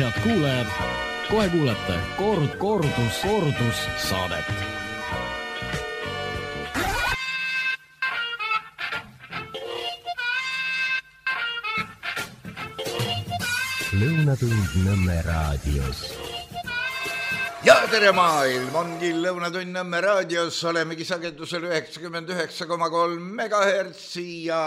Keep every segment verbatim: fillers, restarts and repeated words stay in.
head kuulajad, kohe kuulete kord, kordus, kordus saadet. Lõunatund Nõmme raadios. Ja tere maailm, ongi Lõunatund Nõmme raadios, olemegi sagedusel üheksakümmend üheksa koma kolm megahertsi ja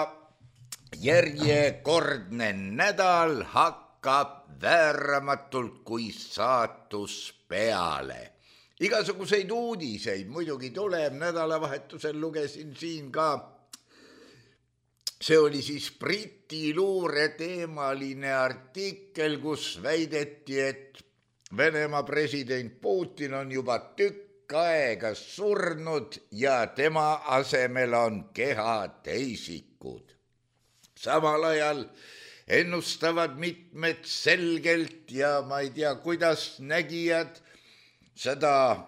järjekordne nädal hakkab vääramatult kui saatus peale. Igasuguseid uudiseid muidugi tuleb, nädalavahetusel lugesin siin ka, see oli siis Briti luure teemaline artikkel, kus väideti, et Venemaa president Putin on juba tükk aega surnud ja tema asemel on kehateisikud. Samal ajal ennustavad mitmed selgelt ja ma ei tea, kuidas nägijad seda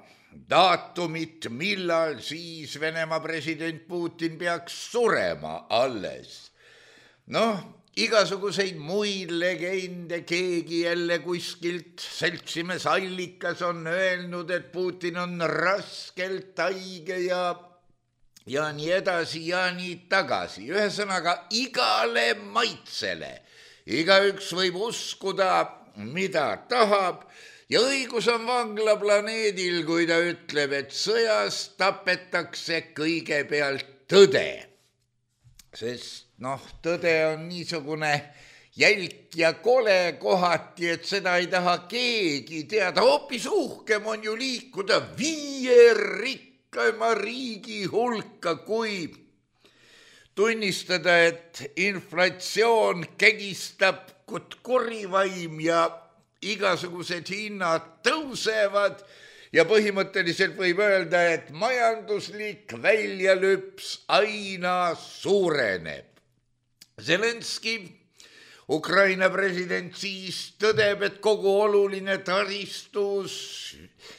daatumit, millal siis Venemaa president Putin peaks surema alles. Noh, igasuguseid muid legende, keegi jälle kuskilt seltsimees allikas on öelnud, et Putin on raskelt haige ja, ja nii edasi ja nii tagasi. Ühesõnaga igale maitsele. Igaüks võib uskuda, mida tahab. Ja õigus on vanglaplaneedil, kui ta ütleb, et sõjas tapetakse kõigepealt tõde. Sest noh, tõde on niisugune jälk ja kole kohati, et seda ei taha keegi teada. Hoopis uhkem on ju liikuda viie rikkama riigi hulka, kui tunnistada, et inflatsioon kägistab kurivaim ja igasugused hinnad tõusevad ja põhimõtteliselt võib öelda, et majanduslik väljalüps aina suureneb. Zelenski, Ukraina president, siis tõdeb, et kogu oluline taristus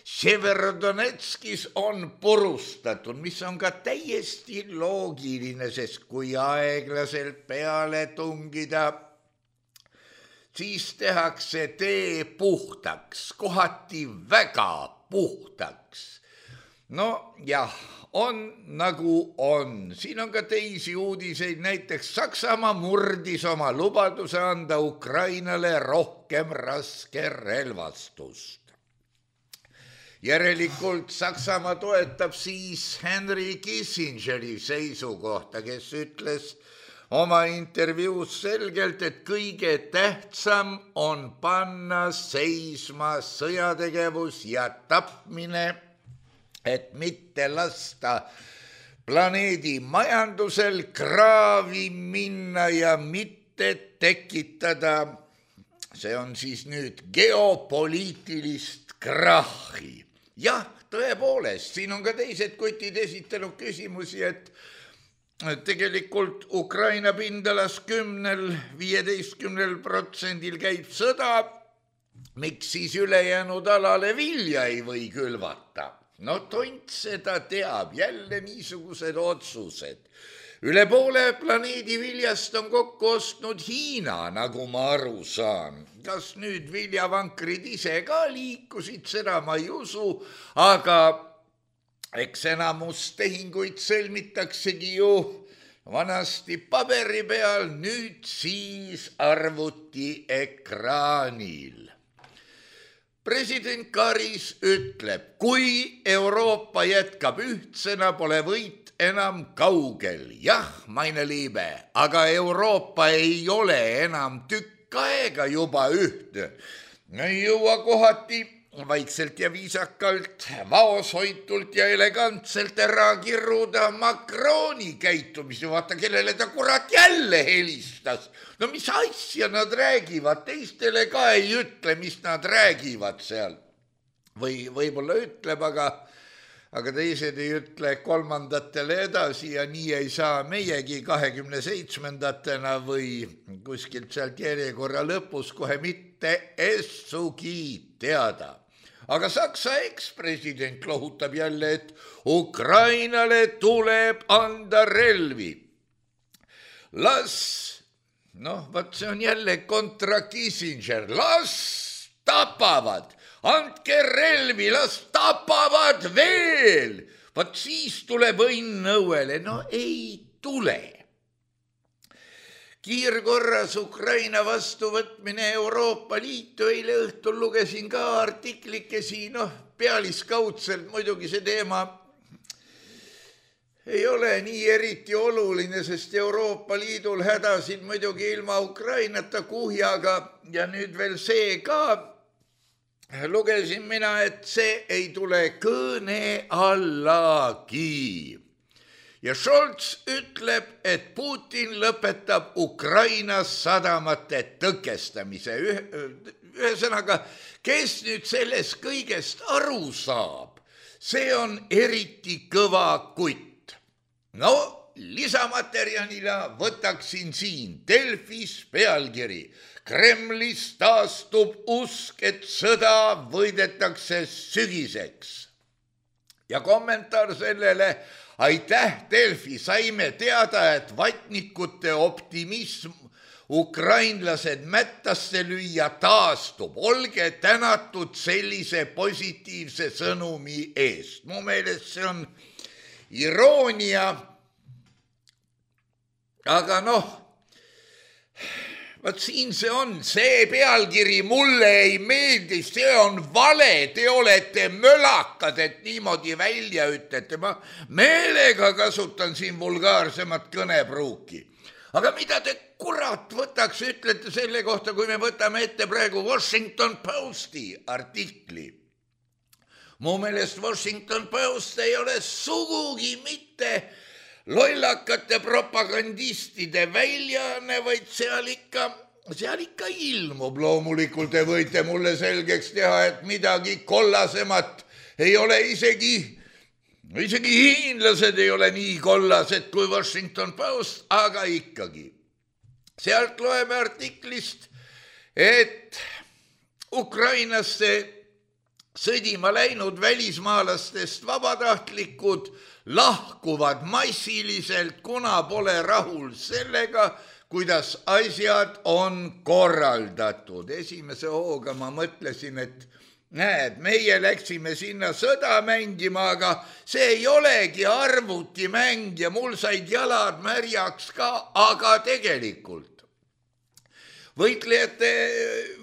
Severodonetskis on purustatud, mis on ka täiesti loogiline, sest kui aeglaselt peale tungida, siis tehakse tee puhtaks, kohati väga puhtaks. No jah, on nagu on. Siin on ka teisi uudiseid, näiteks Saksamaa murdis oma lubaduse anda Ukrainale rohkem raske relvastust. Järelikult Saksamaa toetab siis Henry Kissingeri seisukohta, kes ütles oma intervjuus selgelt, et kõige tähtsam on panna seisma sõjategevus ja tapmine, et mitte lasta planeedi majandusel kraavi minna ja mitte tekitada, see on siis nüüd geopoliitilist krahhi. Jah, tõepoolest, siin on ka teised kotid esitanud küsimusi, et tegelikult Ukraina pindalas kümnel, viieteistkümnel protsendil käib sõda, miks siis ülejäänud alale vilja ei või külvata? No tont seda teab, jälle niisugused otsused. Üle poole planeedi viljast on kokku ostnud Hiina, nagu ma aru saan. Kas nüüd viljavankrid ise ka liikusid, seda ma ei usu, aga eks enamus tehinguid sõlmitaksegi ju vanasti paberi peal, nüüd siis arvuti ekraanil. President Karis ütleb, kui Euroopa jätkab ühtsena, pole võit enam kaugel. Jah, meine liibe, aga Euroopa ei ole enam tükk aega juba ühtne. Ei jõua kohati vaikselt ja viisakalt, vaoshoitult ja elegantselt ära kirruda Macroni käitumisi. Vaata, kellele ta kurat jälle helistas. No mis asja nad räägivad, teistele ka ei ütle, mis nad räägivad seal. Või võib-olla ütleb, aga, aga teised ei ütle kolmandatele edasi ja nii ei saa meiegi kahekümne seitsmendatena või kuskilt sealt järjekorra lõpus kohe mitte essugi teada. Aga Saksa ekspresident lohutab jälle, et Ukrainale tuleb anda relvi. Las, noh, vaat see on jälle kontra Kissinger, las tapavad, andke relvi, las tapavad veel. Vaat siis tuleb õnn õuele, no ei tule. Kiirkorras Ukraina vastuvõtmine Euroopa Liitu, eile õhtul lugesin ka artiklikesi, noh, pealiskaudselt muidugi see teema ei ole nii eriti oluline, sest Euroopa Liidul hädasid muidugi ilma Ukrainata kuhjaga ja nüüd veel see ka. Lugesin mina, et see ei tule kõne allagi. Ja Scholz ütleb, et Putin lõpetab Ukrainas sadamate tõkestamise. Ühesõnaga, kes nüüd sellest kõigest aru saab, see on eriti kõva kutt. No, lisamaterjalina võtaksin siin Delfis pealkiri. Kremlis taastub usk, et sõda võidetakse sügiseks. Ja kommentaar sellele, aitäh Delfi, saime teada, et vatnikute optimism ukrainlased mättasse lüüa taastub. Olge tänatud sellise positiivse sõnumi eest. Mu meelest see on iroonia, aga noh, vaat siin see on, see pealkiri mulle ei meeldi, see on vale, te olete mölakad, et niimoodi välja ütlete. Ma meelega kasutan siin vulgaarsemat kõnepruuki. Aga mida te kurat võtaks, ütlete selle kohta, kui me võtame ette praegu Washington Posti artikli. Mu meelest Washington Post ei ole sugugi mitte lollakate propagandistide väljaanne, vaid seal ikka, seal ikka ilmub. Loomulikult te võite mulle selgeks teha, et midagi kollasemat ei ole isegi, isegi hiinlased ei ole nii kollased kui Washington Post, aga ikkagi. Sealt loeme artiklist, et Ukrainasse sõdima läinud välismaalastest vabatahtlikud lahkuvad massiliselt, kuna pole rahul sellega, kuidas asjad on korraldatud. Esimese hooga ma mõtlesin, et näed, meie läksime sinna sõda mängima, aga see ei olegi arvutimäng ja mul said jalad märjaks ka, aga tegelikult võitlejad,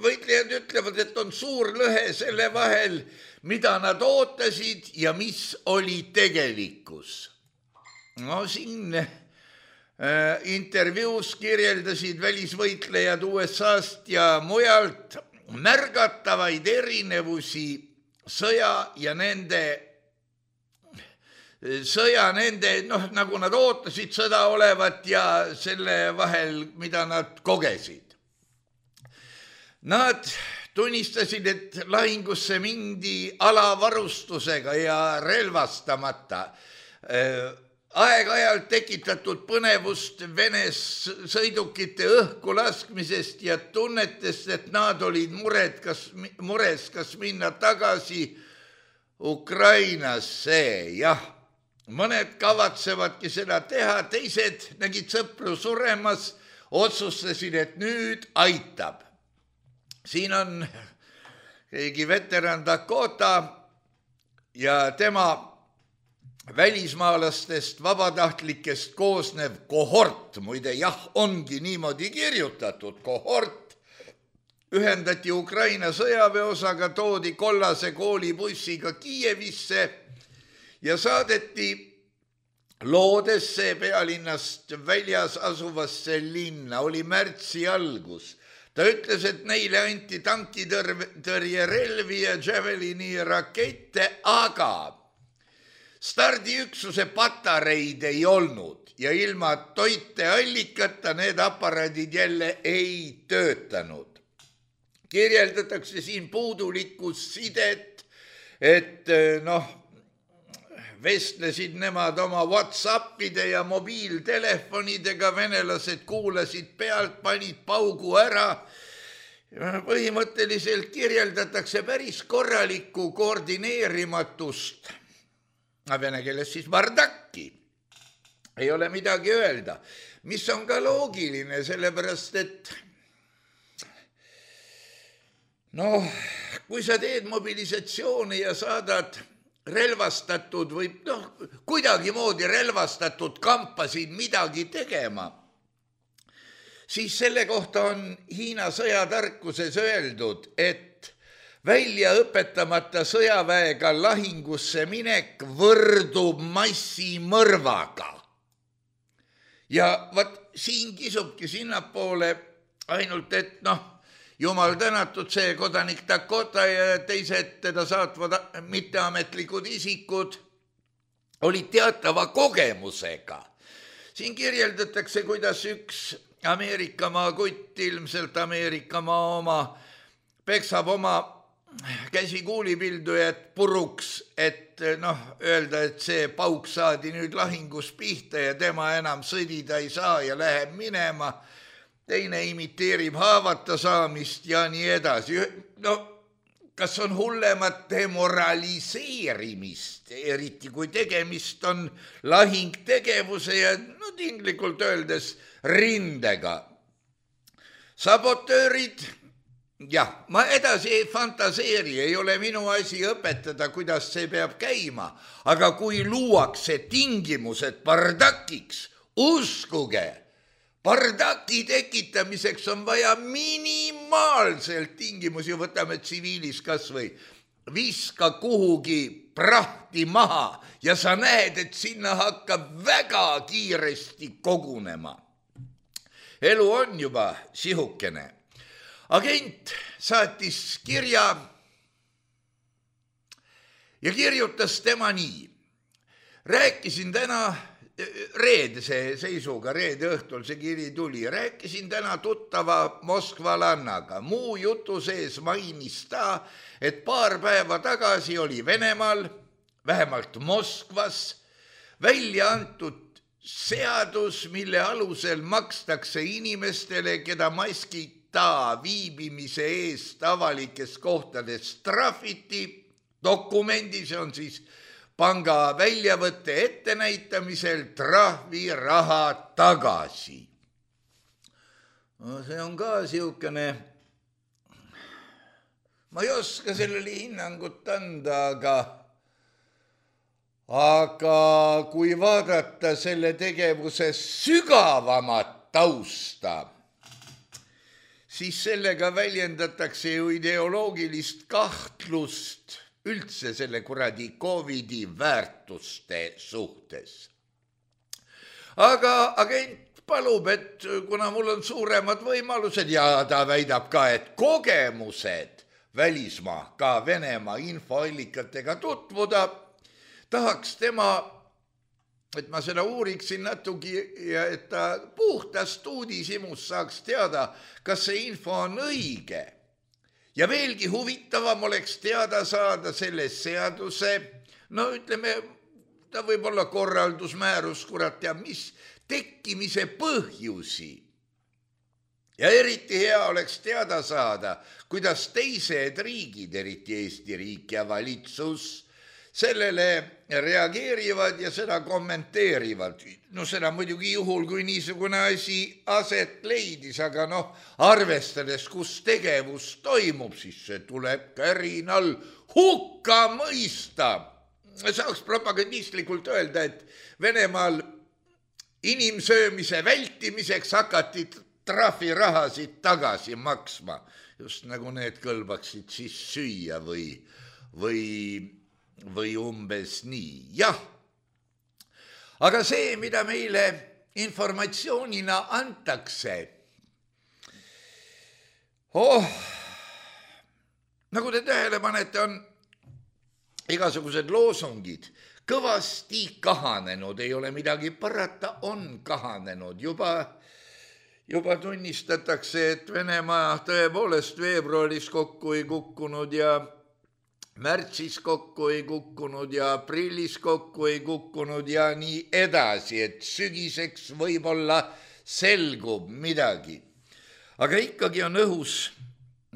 võitlejad ütlevad, et on suur lõhe selle vahel, mida nad ootasid ja mis oli tegelikkus. No siin äh, intervjuus kirjeldasid välisvõitlejad U S A-st ja mujalt märgatavaid erinevusi sõja ja nende, sõja nende, noh, nagu nad ootasid sõda olevat ja selle vahel, mida nad kogesid. Nad tunnistasid, et lahingusse mindi alavarustusega ja relvastamata. Aeg-ajalt tekitatud põnevust Vene sõidukite õhku laskmisest ja tunnetest, et nad olid mured, kas, mures, kas minna tagasi Ukrainasse. Jah, mõned kavatsevadki seda teha, teised nägid sõpru suremas, otsustasid, et nüüd aitab. Siin on keegi veteran Dakota ja tema välismaalastest vabatahtlikest koosnev kohort, muide jah, ongi niimoodi kirjutatud, kohort, ühendati Ukraina sõjaväeosaga, toodi kollase koolibussiga Kiievisse ja saadeti Loodesse pealinnast väljas asuvasse linna, oli märtsi algus. Ta ütles, et neile anti tankitõrjerelvi ja Javelini rakette, aga stardiüksuse patareid ei olnud ja ilma toiteallikata need aparaadid jälle ei töötanud. Kirjeldatakse siin puudulikkus sidet, et noh, vestlesid nemad oma WhatsAppide ja mobiiltelefonidega, venelased kuulasid pealt, panid paugu ära. Põhimõtteliselt kirjeldatakse päris korralikku koordineerimatust. Vene keeles siis bardakki. Ei ole midagi öelda, mis on ka loogiline, sellepärast et noh, kui sa teed mobilisatsiooni ja saadad relvastatud või noh, kuidagimoodi relvastatud kampa siin midagi tegema, siis selle kohta on Hiina sõjatarkuses öeldud, et välja õpetamata sõjaväega lahingusse minek võrdub massimõrvaga. Ja vat siin kisubki sinnapoole ainult, et noh, jumal tänatud see kodanik Dakota ja teised teda saatvad mitteametlikud isikud olid teatava kogemusega. Siin kirjeldatakse, kuidas üks Ameerikamaa kutt, ilmselt Ameerikamaa oma, peksab oma käsikuulipildujat puruks, et noh, öelda, et see pauk saadi nüüd lahingus pihta ja tema enam sõdida ei saa ja läheb minema. Teine imiteerib haavata saamist ja nii edasi. No, kas on hullemat demoraliseerimist, eriti kui tegemist on lahingtegevuse ja no tinglikult öeldes rindega. Sabotöörid, jah, ma edasi ei fantaseeri, ei ole minu asi õpetada, kuidas see peab käima, aga kui luuakse tingimused bardakiks, uskuge, bardaki tekitamiseks on vaja minimaalselt tingimusi, võtame tsiviilis kas või viska kuhugi prahti maha ja sa näed, et sinna hakkab väga kiiresti kogunema. Elu on juba sihukene. Agent saatis kirja ja kirjutas tema nii. Rääkisin täna reedese seisuga, reede õhtul see kiri tuli, rääkisin täna tuttava moskvalannaga. Muu jutu sees mainis ta, et paar päeva tagasi oli Venemaal, vähemalt Moskvas, välja antud seadus, mille alusel makstakse inimestele, keda maskita viibimise eest avalikes kohtades trahviti. Dokumendis on siis panga väljavõtte ettenäitamisel trahvi raha tagasi. No, see on ka siukene, ma ei oska sellele hinnangut anda, aga aga kui vaadata selle tegevuse sügavamat tausta, siis sellega väljendatakse ju ideoloogilist kahtlust üldse selle kuradi Covidi väärtuste suhtes. Aga agent palub, et kuna mul on suuremad võimalused ja ta väidab ka, et kogemused välismaa, ka Venemaa infoallikatega tutvuda, tahaks tema, et ma seda uuriksin natugi ja et ta puhtast uudishimus saaks teada, kas see info on õige. Ja veelgi huvitavam oleks teada saada selle seaduse, no ütleme, ta võib olla korraldusmäärus, kurat teab, mis tekkimise põhjusi. Ja eriti hea oleks teada saada, kuidas teised riigid, eriti Eesti riik ja valitsus, sellele reageerivad ja seda kommenteerivad. No seda muidugi juhul, kui niisugune asi aset leidis, aga noh, arvestades, kus tegevus toimub, siis see tuleb kärinal hukka mõista. Saaks propagandistlikult öelda, et Venemaal inimsöömise vältimiseks hakati trahvirahasid tagasi maksma, just nagu need kõlbaksid siis süüa või, või või umbes nii, jah. Aga see, mida meile informatsioonina antakse, oh, nagu te tähele panete, on igasugused loosungid kõvasti kahanenud, ei ole midagi parata, on kahanenud. Juba, juba tunnistatakse, et Venemaa tõepoolest veebruaris kokku ei kukkunud ja märtsis kokku ei kukkunud ja aprillis kokku ei kukkunud ja nii edasi, et sügiseks võib-olla selgub midagi. Aga ikkagi on õhus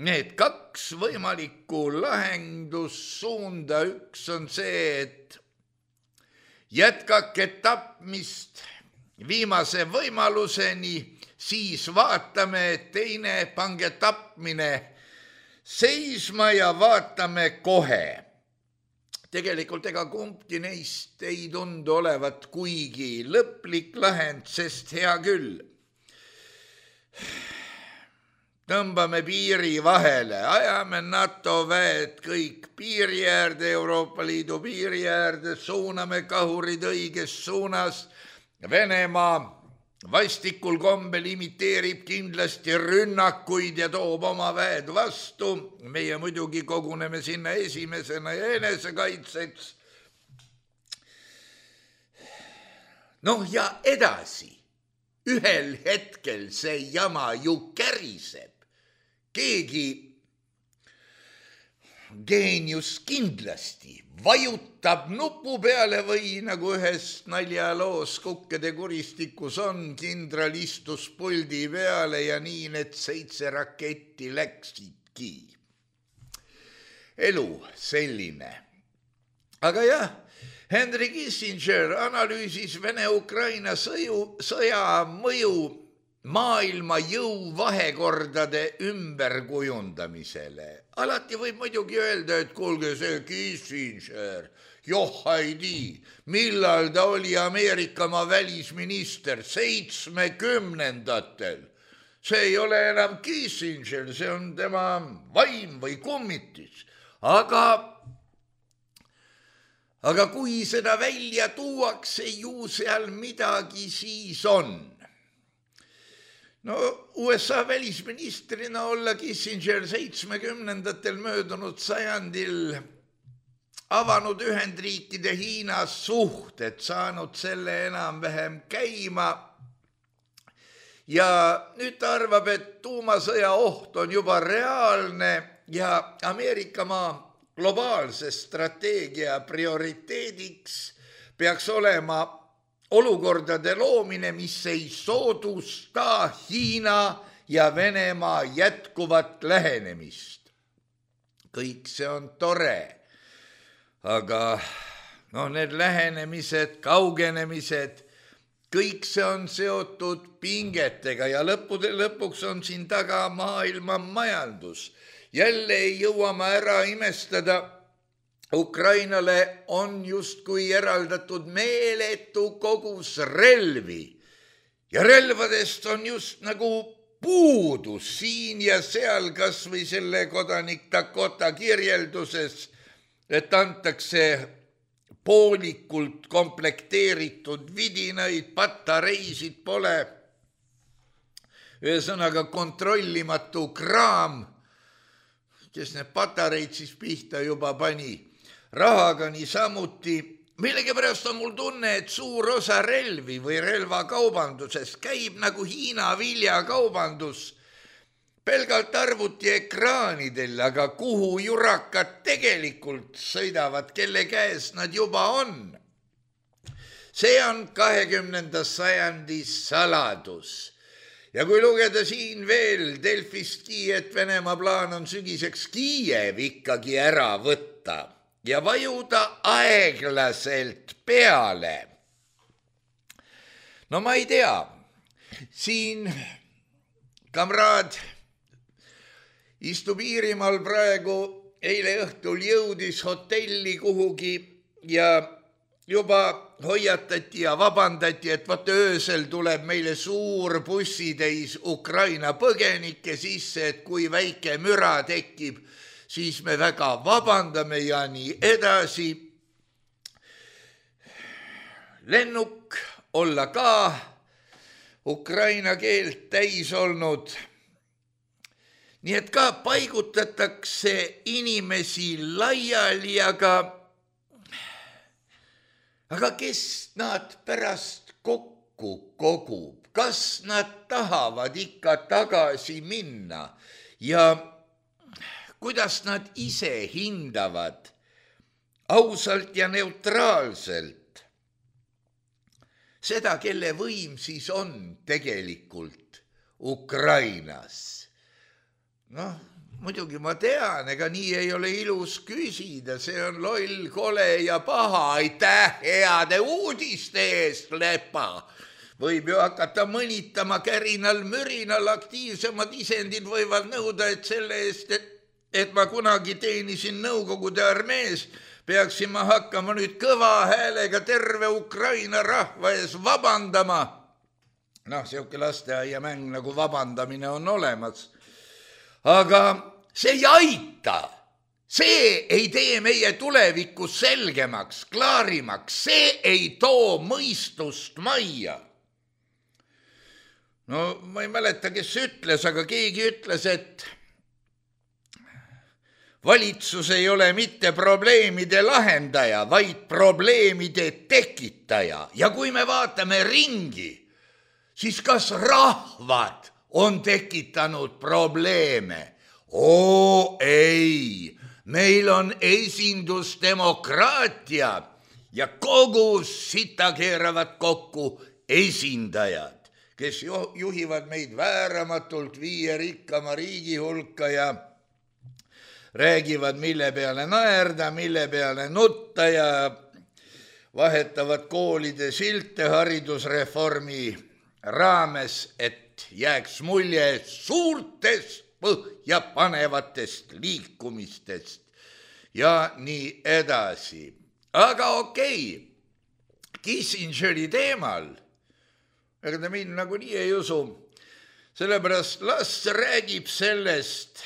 need kaks võimalikku lahendussuunda. Üks on see, et jätkake tapmist viimase võimaluseni, siis vaatame, teine pange tapmine seisma ja vaatame kohe. Tegelikult ega kumbki neist ei tundu olevat kuigi lõplik lahend, sest hea küll. Tõmbame piiri vahele, ajame NATO väed kõik piiri äärde, Euroopa Liidu piiri äärde, suuname kahurid õiges suunas. Venemaa vastikul kombel imiteerib kindlasti rünnakuid ja toob oma väed vastu. Meie muidugi koguneme sinna esimesena ja enesekaitseks. Noh ja edasi, ühel hetkel see jama ju käriseb. Keegi geenius kindlasti vajutab nupu peale või nagu ühes naljaloos Kukkede kuristikus on, kindral istus puldi peale ja nii need seitse raketti läksidki. Elu selline. Aga jah, Henry Kissinger analüüsis Vene-Ukraina sõja mõju maailma jõuvahekordade ümberkujundamisele. Alati võib muidugi öelda, et kuulge see Kissinger, joh ei tii, millal ta oli Ameerikamaa välisminister seitsmekümnendatel. See ei ole enam Kissinger, see on tema vaim või kummitis. Aga, aga kui seda välja tuuakse, ju seal midagi siis on. No U S A välisministrina olla Kissinger seitsmekümnendatel möödunud sajandil avanud Ühendriikide Hiina suhted, saanud selle enam-vähem käima ja nüüd ta arvab, et tuumasõja oht on juba reaalne ja Ameerikamaa globaalse strateegia prioriteediks peaks olema olukordade loomine, mis ei soodusta Hiina ja Venemaa jätkuvat lähenemist. Kõik see on tore, aga no need lähenemised, kaugenemised, kõik see on seotud pingetega ja lõppude lõpuks on siin taga maailma majandus. Jälle ei jõua ma ära imestada, Ukrainale on justkui eraldatud meeletu kogus relvi ja relvadest on just nagu puudus siin ja seal, kas või selle kodanik Dakota kirjelduses, et antakse poolikult komplekteeritud vidinaid, patareisid pole. Ühesõnaga kontrollimatu kraam, kes need patareid siis pihta juba pani. Rahaga niisamuti. Millegipärast on mul tunne, et suur osa relvi või relvakaubanduses käib nagu Hiina viljakaubandus pelgalt arvuti ekraanidel, aga kuhu jurakad tegelikult sõidavad, kelle käes nad juba on. See on kahekümnenda sajandi saladus. Ja kui lugeda siin veel Delfistki, et Venemaa plaan on sügiseks Kiiev ikkagi ära võtta ja vajuda aeglaselt peale. No ma ei tea, siin kamraad istub Iirimaal praegu, eile õhtul jõudis hotelli kuhugi ja juba hoiatati ja vabandati, et vaata öösel tuleb meile suur bussitäis Ukraina põgenikke sisse, et kui väike müra tekib, siis me väga vabandame ja nii edasi. Lennuk olla ka ukraina keelt täis olnud. Nii et ka paigutatakse inimesi laiali, aga, aga kes nad pärast kokku kogub? Kas nad tahavad ikka tagasi minna ja kuidas nad ise hindavad ausalt ja neutraalselt seda, kelle võim siis on tegelikult Ukrainas? Noh, muidugi ma tean, ega nii ei ole ilus küsida, see on loll, kole ja paha, aitäh heade uudiste eest, lepa. Võib ju hakata mõnitama kärinal, mürinal, aktiivsemad isendid võivad nõuda, et selle eest, et et ma kunagi teenisin Nõukogude armees, peaksin ma hakkama nüüd kõva häälega terve Ukraina rahva ees vabandama. Noh, siuke lasteaiamäng nagu vabandamine on olemas. Aga see ei aita. See ei tee meie tulevikus selgemaks, klaarimaks. See ei too mõistust majja. No ma ei mäleta, kes ütles, aga keegi ütles, et valitsus ei ole mitte probleemide lahendaja, vaid probleemide tekitaja. Ja kui me vaatame ringi, siis kas rahvad on tekitanud probleeme? Oo ei, meil on esindusdemokraatia ja kogu sita keeravad kokku esindajad, kes juhivad meid vääramatult viie rikkama riigi hulka ja räägivad, mille peale naerda, mille peale nutta ja vahetavad koolide silte haridusreformi raames, et jääks mulje suurtest põhjapanevatest liikumistest ja nii edasi. Aga okei, Kissingeri teemal, ega ta mind nagu nii ei usu, sellepärast las räägib sellest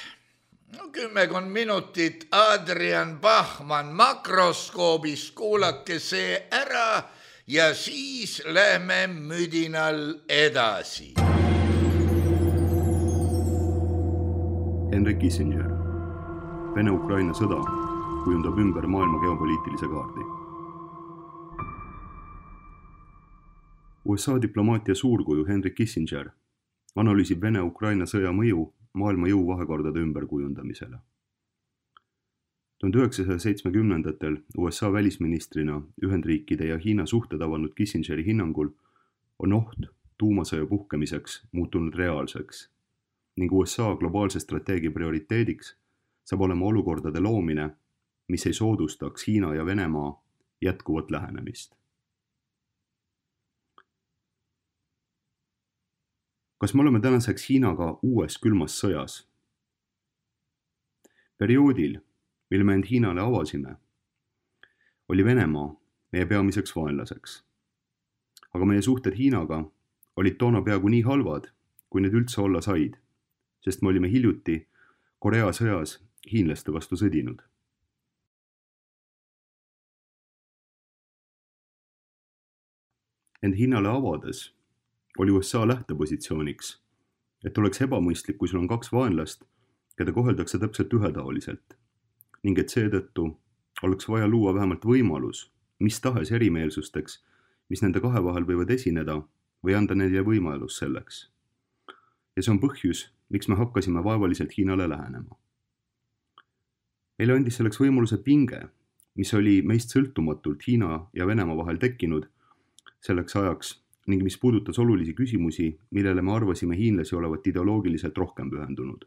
no, kümmekond minutit Adrian Bachmann makroskoobist, kuulake see ära ja siis lähme müdinal edasi. Henry Kissinger. Vene-Ukraina sõda kujundab ümber maailma geopoliitilise kaardi. U S A diplomaatia suurkuju Henry Kissinger analüüsib Vene-Ukraina sõja mõju maailma jõuvahekordade ümberkujundamisele. tuhande üheksasaja seitsmekümnendatel U S A välisministrina Ühendriikide ja Hiina suhted avanud Kissingeri hinnangul on oht tuumasõja puhkemiseks muutunud reaalseks ning U S A globaalse strateegia prioriteediks saab olema olukordade loomine, mis ei soodustaks Hiina ja Venemaa jätkuvat lähenemist. Kas me oleme tänaseks Hiinaga uues külmas sõjas? Perioodil, mil me end Hiinale avasime, oli Venemaa meie peamiseks vaenlaseks. Aga meie suhted Hiinaga olid toona peaaegu nii halvad, kui need üldse olla said, sest me olime hiljuti Korea sõjas hiinlaste vastu sõdinud. Ent Hiinale avades oli U S A lähtepositsiooniks, et oleks ebamõistlik, kui sul on kaks vaenlast, keda koheldakse täpselt ühetaoliselt, ning et seetõttu oleks vaja luua vähemalt võimalus mis tahes erimeelsusteks, mis nende kahe vahel võivad esineda või anda neile võimalus selleks. Ja see on põhjus, miks me hakkasime vaevaliselt Hiinale lähenema. Meile andis selleks võimaluse pinge, mis oli meist sõltumatult Hiina ja Venemaa vahel tekkinud selleks ajaks ning mis puudutas olulisi küsimusi, millele me arvasime hiinlasi olevat ideoloogiliselt rohkem pühendunud.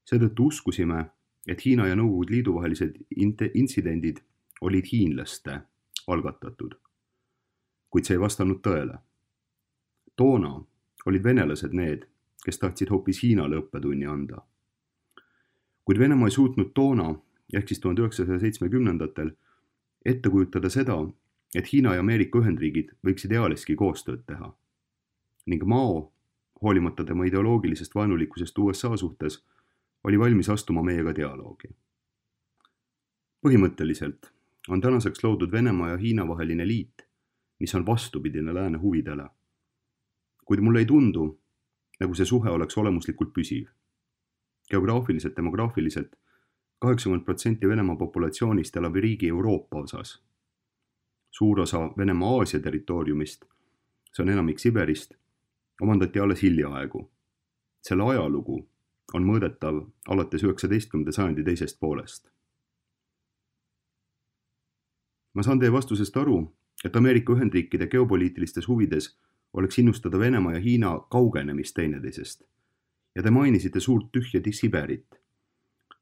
Seetõttu uskusime, et Hiina ja Nõukogude Liidu vahelised intsidendid olid hiinlaste algatatud, kuid see ei vastanud tõele. Toona olid venelased need, kes tahtsid hoopis Hiinale õppetunni anda. Kuid Venemaa ei suutnud toona, ehk siis tuhande üheksasaja seitsmekümnendatel, ette kujutada seda, et Hiina ja Ameerika Ühendriigid võiksid ealeski koostööd teha. Ning Mao, hoolimata tema ideoloogilisest vaenulikkusest U S A suhtes, oli valmis astuma meiega dialoogi. Põhimõtteliselt on tänaseks loodud Venemaa ja Hiina vaheline liit, mis on vastupidine lääne huvidele. Kuid mulle ei tundu, nagu see suhe oleks olemuslikult püsiv. Geograafiliselt, demograafiliselt kaheksakümmend protsenti Venemaa populatsioonist elab riigi Euroopa osas. Suur osa Venemaa Aasia territooriumist, see on enamik Siberist, omandati alles hiljaaegu. Selle ajalugu on mõõdetav alates üheksateistkümnenda sajandi teisest poolest. Ma saan teie vastusest aru, et Ameerika Ühendriikide geopoliitilistes huvides oleks innustada Venemaa ja Hiina kaugenemist teineteisest. Ja te mainisite suurt tühja Siberit.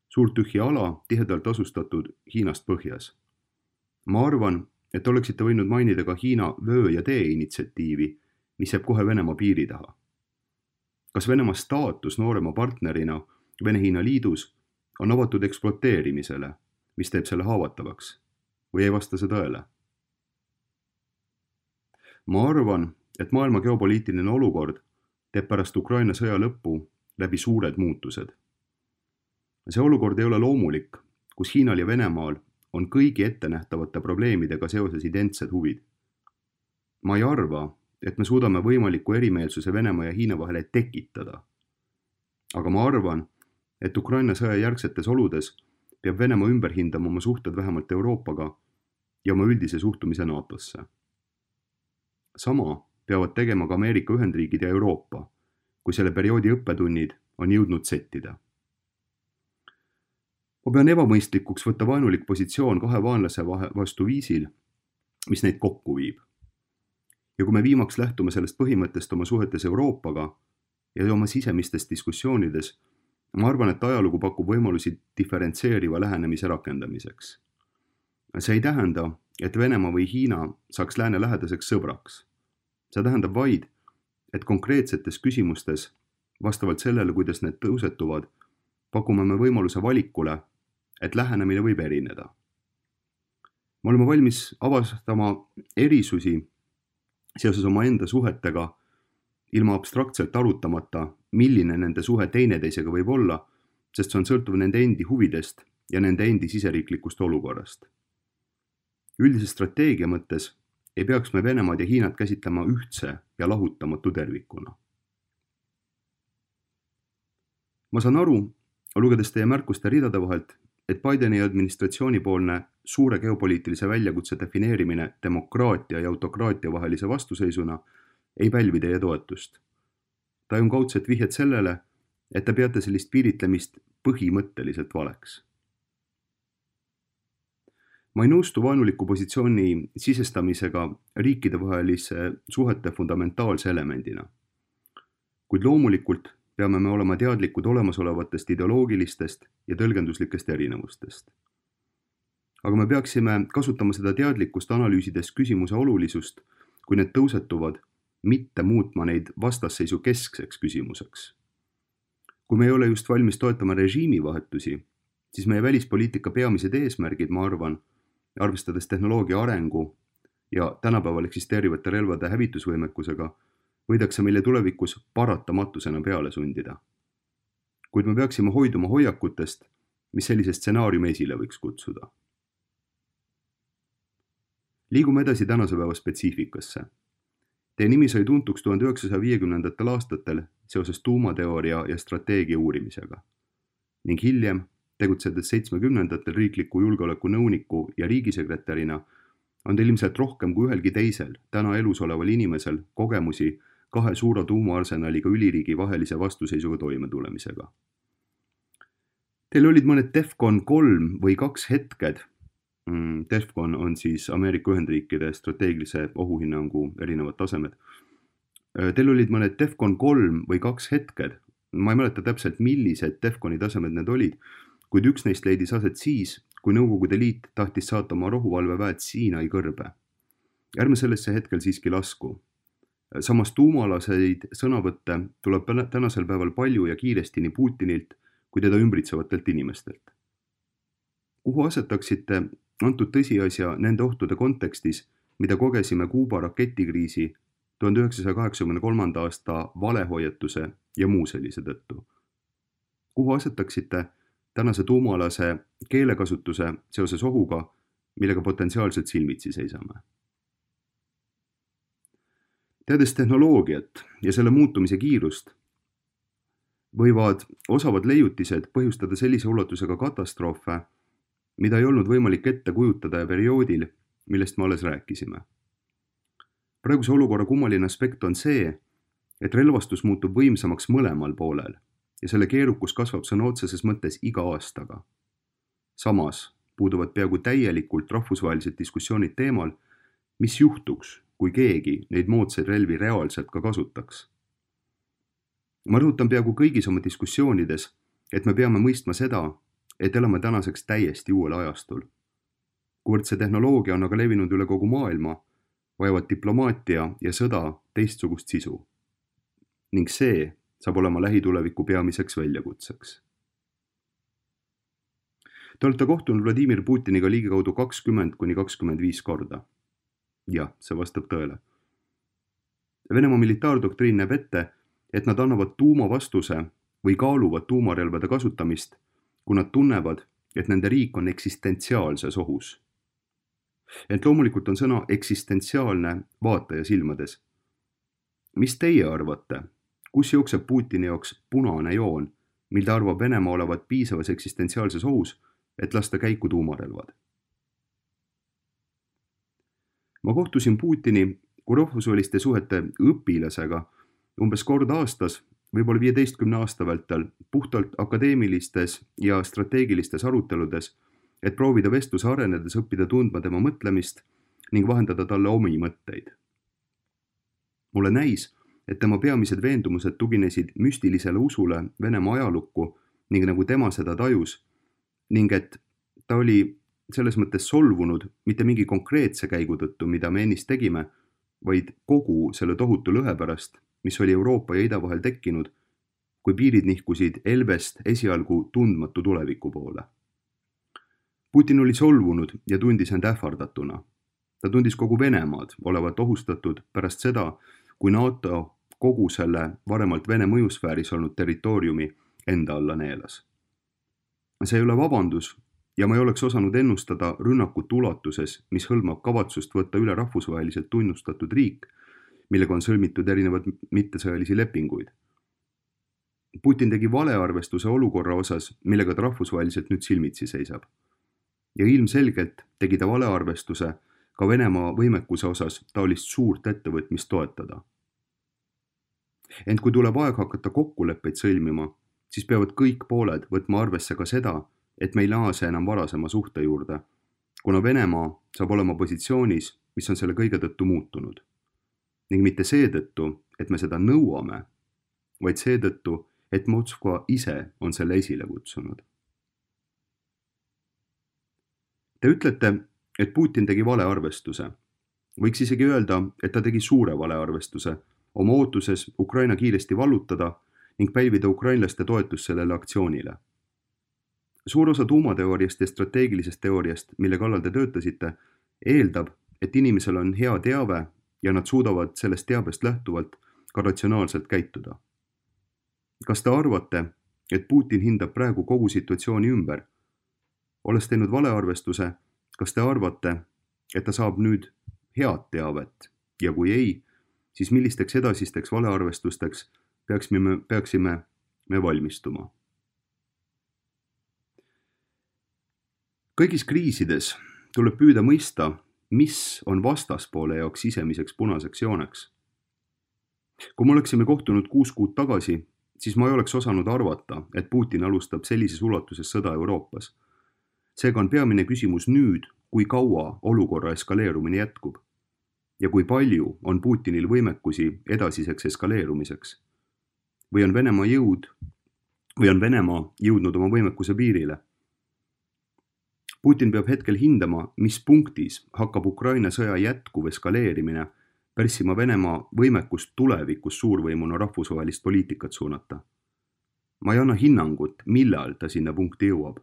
Suurt tühja ala tihedalt asustatud Hiinast põhjas. Ma arvan, et oleksite võinud mainida ka Hiina vöö ja tee initsiatiivi, mis jääb kohe Venemaa piiri taha. Kas Venemaa staatus noorema partnerina Vene-Hiina liidus on avatud ekspluateerimisele, mis teeb selle haavatavaks, või ei vasta see tõele? Ma arvan, et maailma geopoliitiline olukord teeb pärast Ukraina sõja lõppu läbi suured muutused. See olukord ei ole loomulik, kus Hiinal ja Venemaal on kõigi ettenähtavate probleemidega seoses identsed huvid. Ma ei arva, et me suudame võimaliku erimeelsuse Venemaa ja Hiina vahele tekitada. Aga ma arvan, et Ukraina sõja järgsetes oludes peab Venemaa ümber hindama oma suhted vähemalt Euroopaga ja oma üldise suhtumise NATOsse. Sama peavad tegema ka Ameerika Ühendriigid ja Euroopa, kui selle perioodi õppetunnid on jõudnud settida. Ma pean ebamõistlikuks võtta vaenulik positsioon kahe vaenlase vastu viisil, mis neid kokku viib. Ja kui me viimaks lähtume sellest põhimõttest oma suhetes Euroopaga ja oma sisemistes diskussioonides, ma arvan, et ajalugu pakub võimalusi diferentseeriva lähenemise rakendamiseks. See ei tähenda, et Venemaa või Hiina saaks lääne lähedaseks sõbraks. See tähendab vaid, et konkreetsetes küsimustes, vastavalt sellele, kuidas need tõusetuvad, pakume me võimaluse valikule, et lähenemine võib erineda. Me oleme valmis avastama erisusi seoses oma enda suhetega, ilma abstraktselt arutamata, milline nende suhe teineteisega võib olla, sest see on sõltuv nende endi huvidest ja nende endi siseriiklikust olukorrast. Üldise strateegia mõttes ei peaks me Venemaad ja Hiinat käsitlema ühtse ja lahutamatu tervikuna. Ma saan aru, lugedes teie märkuste ridade vahelt, et Bideni administratsiooni poolne suure geopoliitilise väljakutse defineerimine demokraatia ja autokraatia vahelise vastuseisuna ei pälvi teie toetust. Ta on kaudselt vihjed sellele, et te peate sellist piiritlemist põhimõtteliselt valeks. Ma ei nõustu vaenuliku positsiooni sisestamisega riikidevahelise suhete fundamentaalse elemendina. Kuid loomulikult peame me olema teadlikud olemasolevatest ideoloogilistest ja tõlgenduslikest erinevustest. Aga me peaksime kasutama seda teadlikkust analüüsides küsimuse olulisust, kui need tõusetuvad, mitte muutma neid vastasseisu keskseks küsimuseks. Kui me ei ole just valmis toetama režiimivahetusi, siis meie välispoliitika peamised eesmärgid, ma arvan, arvestades tehnoloogia arengu ja tänapäeval eksisteerivate relvade hävitusvõimekusega, võidakse meile tulevikus paratamatusena peale sundida. Kuid me peaksime hoiduma hoiakutest, mis sellise stsenaariumi esile võiks kutsuda. Liigume edasi tänase päeva spetsiifikasse. Teie nimi sai tuntuks tuhande üheksasaja viiekümnendatel aastatel seoses tuumateooria ja strateegia uurimisega. Ning hiljem, tegutsedes seitsmekümnendatel riikliku julgeoleku nõuniku ja riigisekretärina, on teil ilmselt rohkem kui ühelgi teisel täna elus oleval inimesel kogemusi kahe suure tuumaarsenaliga üliriigi vahelise vastuseisuga toimetulemisega. Teil olid mõned Defcon kolm või kaks hetked. Defcon on siis Ameerika Ühendriikide strateegilise ohuhinnangu erinevad tasemed. Teil olid mõned Defcon kolm või kaks hetked. Ma ei mäleta täpselt, millised Defconi tasemed need olid, kuid üks neist leidis aset siis, kui Nõukogude Liit tahtis saata oma rohuvalveväed Siinai kõrbe. Ärme sellesse hetkel siiski lasku. Samas tuumalaseid sõnavõtte tuleb tänasel päeval palju ja kiiresti nii Putinilt kui teda ümbritsevatelt inimestelt. Kuhu asetaksite antud tõsiasja nende ohtude kontekstis, mida kogesime Kuuba raketikriisi tuhande üheksasaja kaheksakümne kolmanda aasta valehoiatuse ja muu sellise tõttu? Kuhu asetaksite tänase tuumalase keelekasutuse seoses ohuga, millega potentsiaalselt silmitsi seisame? Teades tehnoloogiat ja selle muutumise kiirust, võivad osavad leiutised põhjustada sellise ulatusega katastroofe, mida ei olnud võimalik ette kujutada ja perioodil, millest me alles rääkisime. Praeguse olukorra kummaline aspekt on see, et relvastus muutub võimsamaks mõlemal poolel ja selle keerukus kasvab sõna otseses mõttes iga aastaga. Samas puuduvad peaaegu täielikult rahvusvahelised diskussioonid teemal, mis juhtuks, kui keegi neid moodsaid relvi reaalselt ka kasutaks. Ma rõhutan peaaegu kõigis oma diskussioonides, et me peame mõistma seda, et elame tänaseks täiesti uuel ajastul. Kuivõrd see tehnoloogia on aga levinud üle kogu maailma, vajavad diplomaatia ja sõda teistsugust sisu. Ning see saab olema lähituleviku peamiseks väljakutseks. Te olete kohtunud Vladimir Putiniga ligikaudu kakskümmend kuni kakskümmend viis korda. Jah, see vastab tõele. Venemaa militaardoktriin näeb ette, et nad annavad tuumavastuse või kaaluvad tuumarelvade kasutamist, kui nad tunnevad, et nende riik on eksistentsiaalses ohus. Ent loomulikult on sõna eksistentsiaalne vaataja silmades. Mis teie arvate, kus jookseb Putini jaoks punane joon, mil ta arvab Venemaa olevat piisavas eksistentsiaalses ohus, et lasta käiku tuumarelvad? Ma kohtusin Putini kui rahvusvaheliste suhete õpilasega umbes kord aastas, võib-olla viieteistkümne aasta vältel, puhtalt akadeemilistes ja strateegilistes aruteludes, et proovida vestluse arenedes õppida tundma tema mõtlemist ning vahendada talle omi mõtteid. Mulle näis, et tema peamised veendumused tuginesid müstilisele usule Venemaa ajalukku ning nagu tema seda tajus, ning et ta oli selles mõttes solvunud mitte mingi konkreetse käigu tõttu, mida me ennist tegime, vaid kogu selle tohutu lõhe pärast, mis oli Euroopa ja Ida vahel tekkinud, kui piirid nihkusid Elbest esialgu tundmatu tuleviku poole. Putin oli solvunud ja tundis end ähvardatuna. Ta tundis kogu Venemaad olevat ohustatud pärast seda, kui NATO kogu selle varemalt Vene mõjusfääris olnud territooriumi enda alla neelas. See ei ole vabandus ja ma ei oleks osanud ennustada rünnakut ulatuses, mis hõlmab kavatsust võtta üle rahvusvaheliselt tunnustatud riik, millega on sõlmitud erinevad mittesõjalisi lepinguid. Putin tegi valearvestuse olukorra osas, millega ta rahvusvaheliselt nüüd silmitsi seisab. Ja ilmselgelt tegi ta valearvestuse ka Venemaa võimekuse osas taolist suurt ettevõtmist toetada. Ent kui tuleb aeg hakata kokkuleppeid sõlmima, siis peavad kõik pooled võtma arvesse ka seda, et me ei naase enam varasema suhte juurde, kuna Venemaa saab olema positsioonis, mis on selle kõige tõttu muutunud. Ning mitte seetõttu, et me seda nõuame, vaid seetõttu, et Moskva ise on selle esile kutsunud. Te ütlete, et Putin tegi valearvestuse. Võiks isegi öelda, et ta tegi suure valearvestuse, oma ootuses Ukraina kiiresti vallutada ning pälvida ukrainlaste toetus sellele aktsioonile. Suur osa tuumateooriast ja strateegilisest teooriast, mille kallal te töötasite, eeldab, et inimesel on hea teave ja nad suudavad sellest teabest lähtuvalt ka ratsionaalselt käituda. Kas te arvate, et Putin hindab praegu kogu situatsiooni ümber? Olles teinud valearvestuse, kas te arvate, et ta saab nüüd head teavet ja kui ei, siis millisteks edasisteks valearvestusteks peaksime, peaksime me valmistuma? Kõigis kriisides tuleb püüda mõista, mis on vastaspoole jaoks sisemiseks punaseks jooneks. Kui me oleksime kohtunud kuus kuud tagasi, siis ma ei oleks osanud arvata, et Putin alustab sellises ulatuses sõda Euroopas. Seega on peamine küsimus nüüd, kui kaua olukorra eskaleerumine jätkub ja kui palju on Putinil võimekusi edasiseks eskaleerumiseks. Või on Venemaa jõud, või on Venemaa jõudnud oma võimekuse piirile. Putin peab hetkel hindama, mis punktis hakkab Ukraina sõja jätkuv eskaleerimine pärssima Venemaa võimekust tulevikus suurvõimuna rahvusvahelist poliitikat suunata. Ma ei anna hinnangut, millal ta sinna punkti jõuab.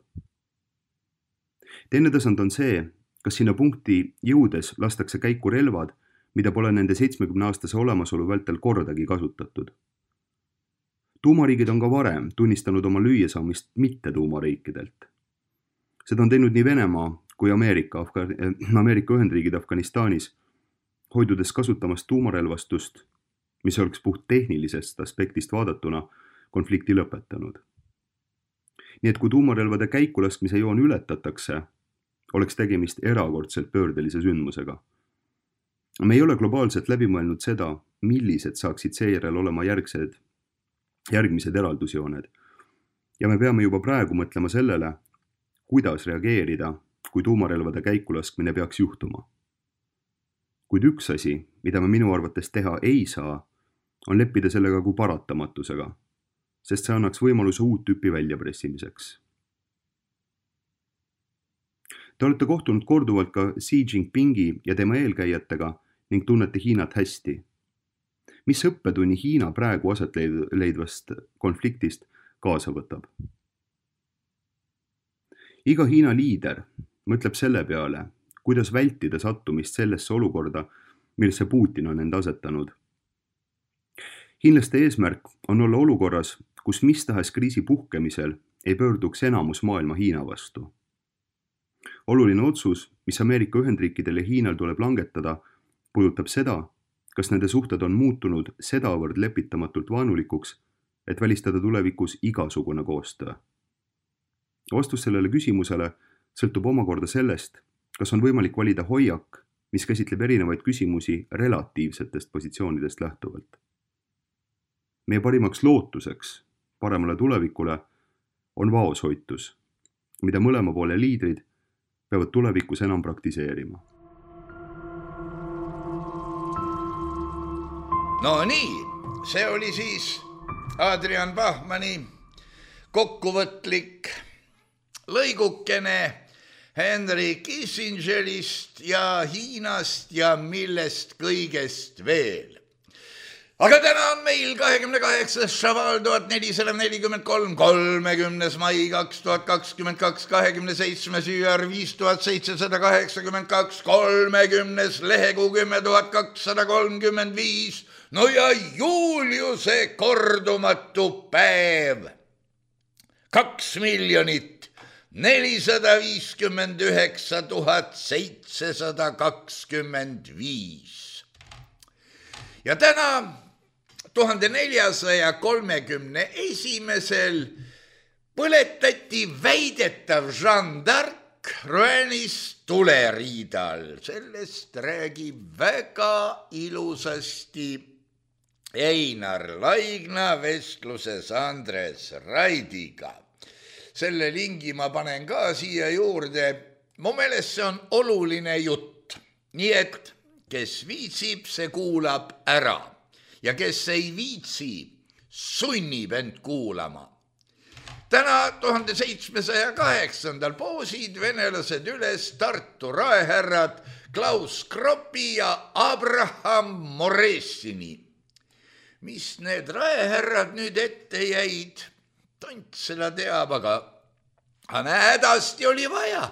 Teine tasand on see, kas sinna punkti jõudes lastakse käiku relvad, mida pole nende seitsmekümne aastase olemasolu vältel kordagi kasutatud. Tuumariigid on ka varem tunnistanud oma lüüasaamist mitte tuumariikidelt. Seda on teinud nii Venemaa kui Ameerika, Afga- Ameerika Ühendriigid Afganistanis, hoidudes kasutamast tuumarelvastust, mis oleks puht tehnilisest aspektist vaadatuna konflikti lõpetanud. Nii et kui tuumarelvade käikulaskmise joon ületatakse, oleks tegemist erakordselt pöördelise sündmusega. Me ei ole globaalselt läbi mõelnud seda, millised saaksid seejärel olema järgsed, järgmised eraldusjooned. Ja me peame juba praegu mõtlema sellele, kuidas reageerida, kui tuumarelvade käikulaskmine peaks juhtuma. Kuid üks asi, mida me minu arvates teha ei saa, on leppida sellega kui paratamatusega, sest see annaks võimaluse uut tüüpi väljapressimiseks. Te olete kohtunud korduvalt ka Xi Jinpingi ja tema eelkäijatega ning tunnete Hiinat hästi. Mis õppetunni Hiina praegu aset leidvast konfliktist kaasa võtab? Iga Hiina liider mõtleb selle peale, kuidas vältida sattumist sellesse olukorda, millesse Putin on end asetanud. Hiinlaste eesmärk on olla olukorras, kus mis tahes kriisi puhkemisel ei pöörduks enamus maailma Hiina vastu. Oluline otsus, mis Ameerika Ühendriikidel ja Hiinal tuleb langetada, puudutab seda, kas nende suhted on muutunud sedavõrd lepitamatult vaanulikuks, et välistada tulevikus igasugune koostöö. Vastus sellele küsimusele sõltub omakorda sellest, kas on võimalik valida hoiak, mis käsitleb erinevaid küsimusi relatiivsetest positsioonidest lähtuvalt. Meie parimaks lootuseks paremale tulevikule on vaoshoitus, mida mõlema poole liidrid peavad tulevikus enam praktiseerima. No nii, see oli siis Adrian Bachmanni kokkuvõtlik lõigukene Henry Kissingerist ja Hiinast ja millest kõigest veel. Aga täna on meil kahekümne kaheksas Šaval tuhat nelisada nelikümmend kolm, kolmekümnes mai kaks tuhat kakskümmend kaks, kahekümne seitsmes Üüar viis tuhat seitsesada kaheksakümmend kaks, kolmekümnes lehekuu kümme tuhat kakssada kolmkümmend viis, no ja Juliuse kordumatu päev. Kaks miljonit nelisada viiskümmend üheksa tuhat seitsesada kakskümmend viis. Ja täna tuhande neljasaja kolmekümne esimesel põletati väidetav Jeanne d'Arc Roan'is tuleriidal. Sellest räägib väga ilusasti Einar Laigna vestluses Andres Raidiga. Selle lingi ma panen ka siia juurde. Mu meelest see on oluline jutt. Nii et kes viitsib, see kuulab ära. Ja kes ei viitsi, sunnib end kuulama. Täna tuhande seitsmesaja kaheksandal poosid venelased üles Tartu raehärrad Klaus Kroppi ja Abraham Moressini. Mis need raehärrad nüüd ette jäid? Tont seda teab, aga hädasti oli vaja.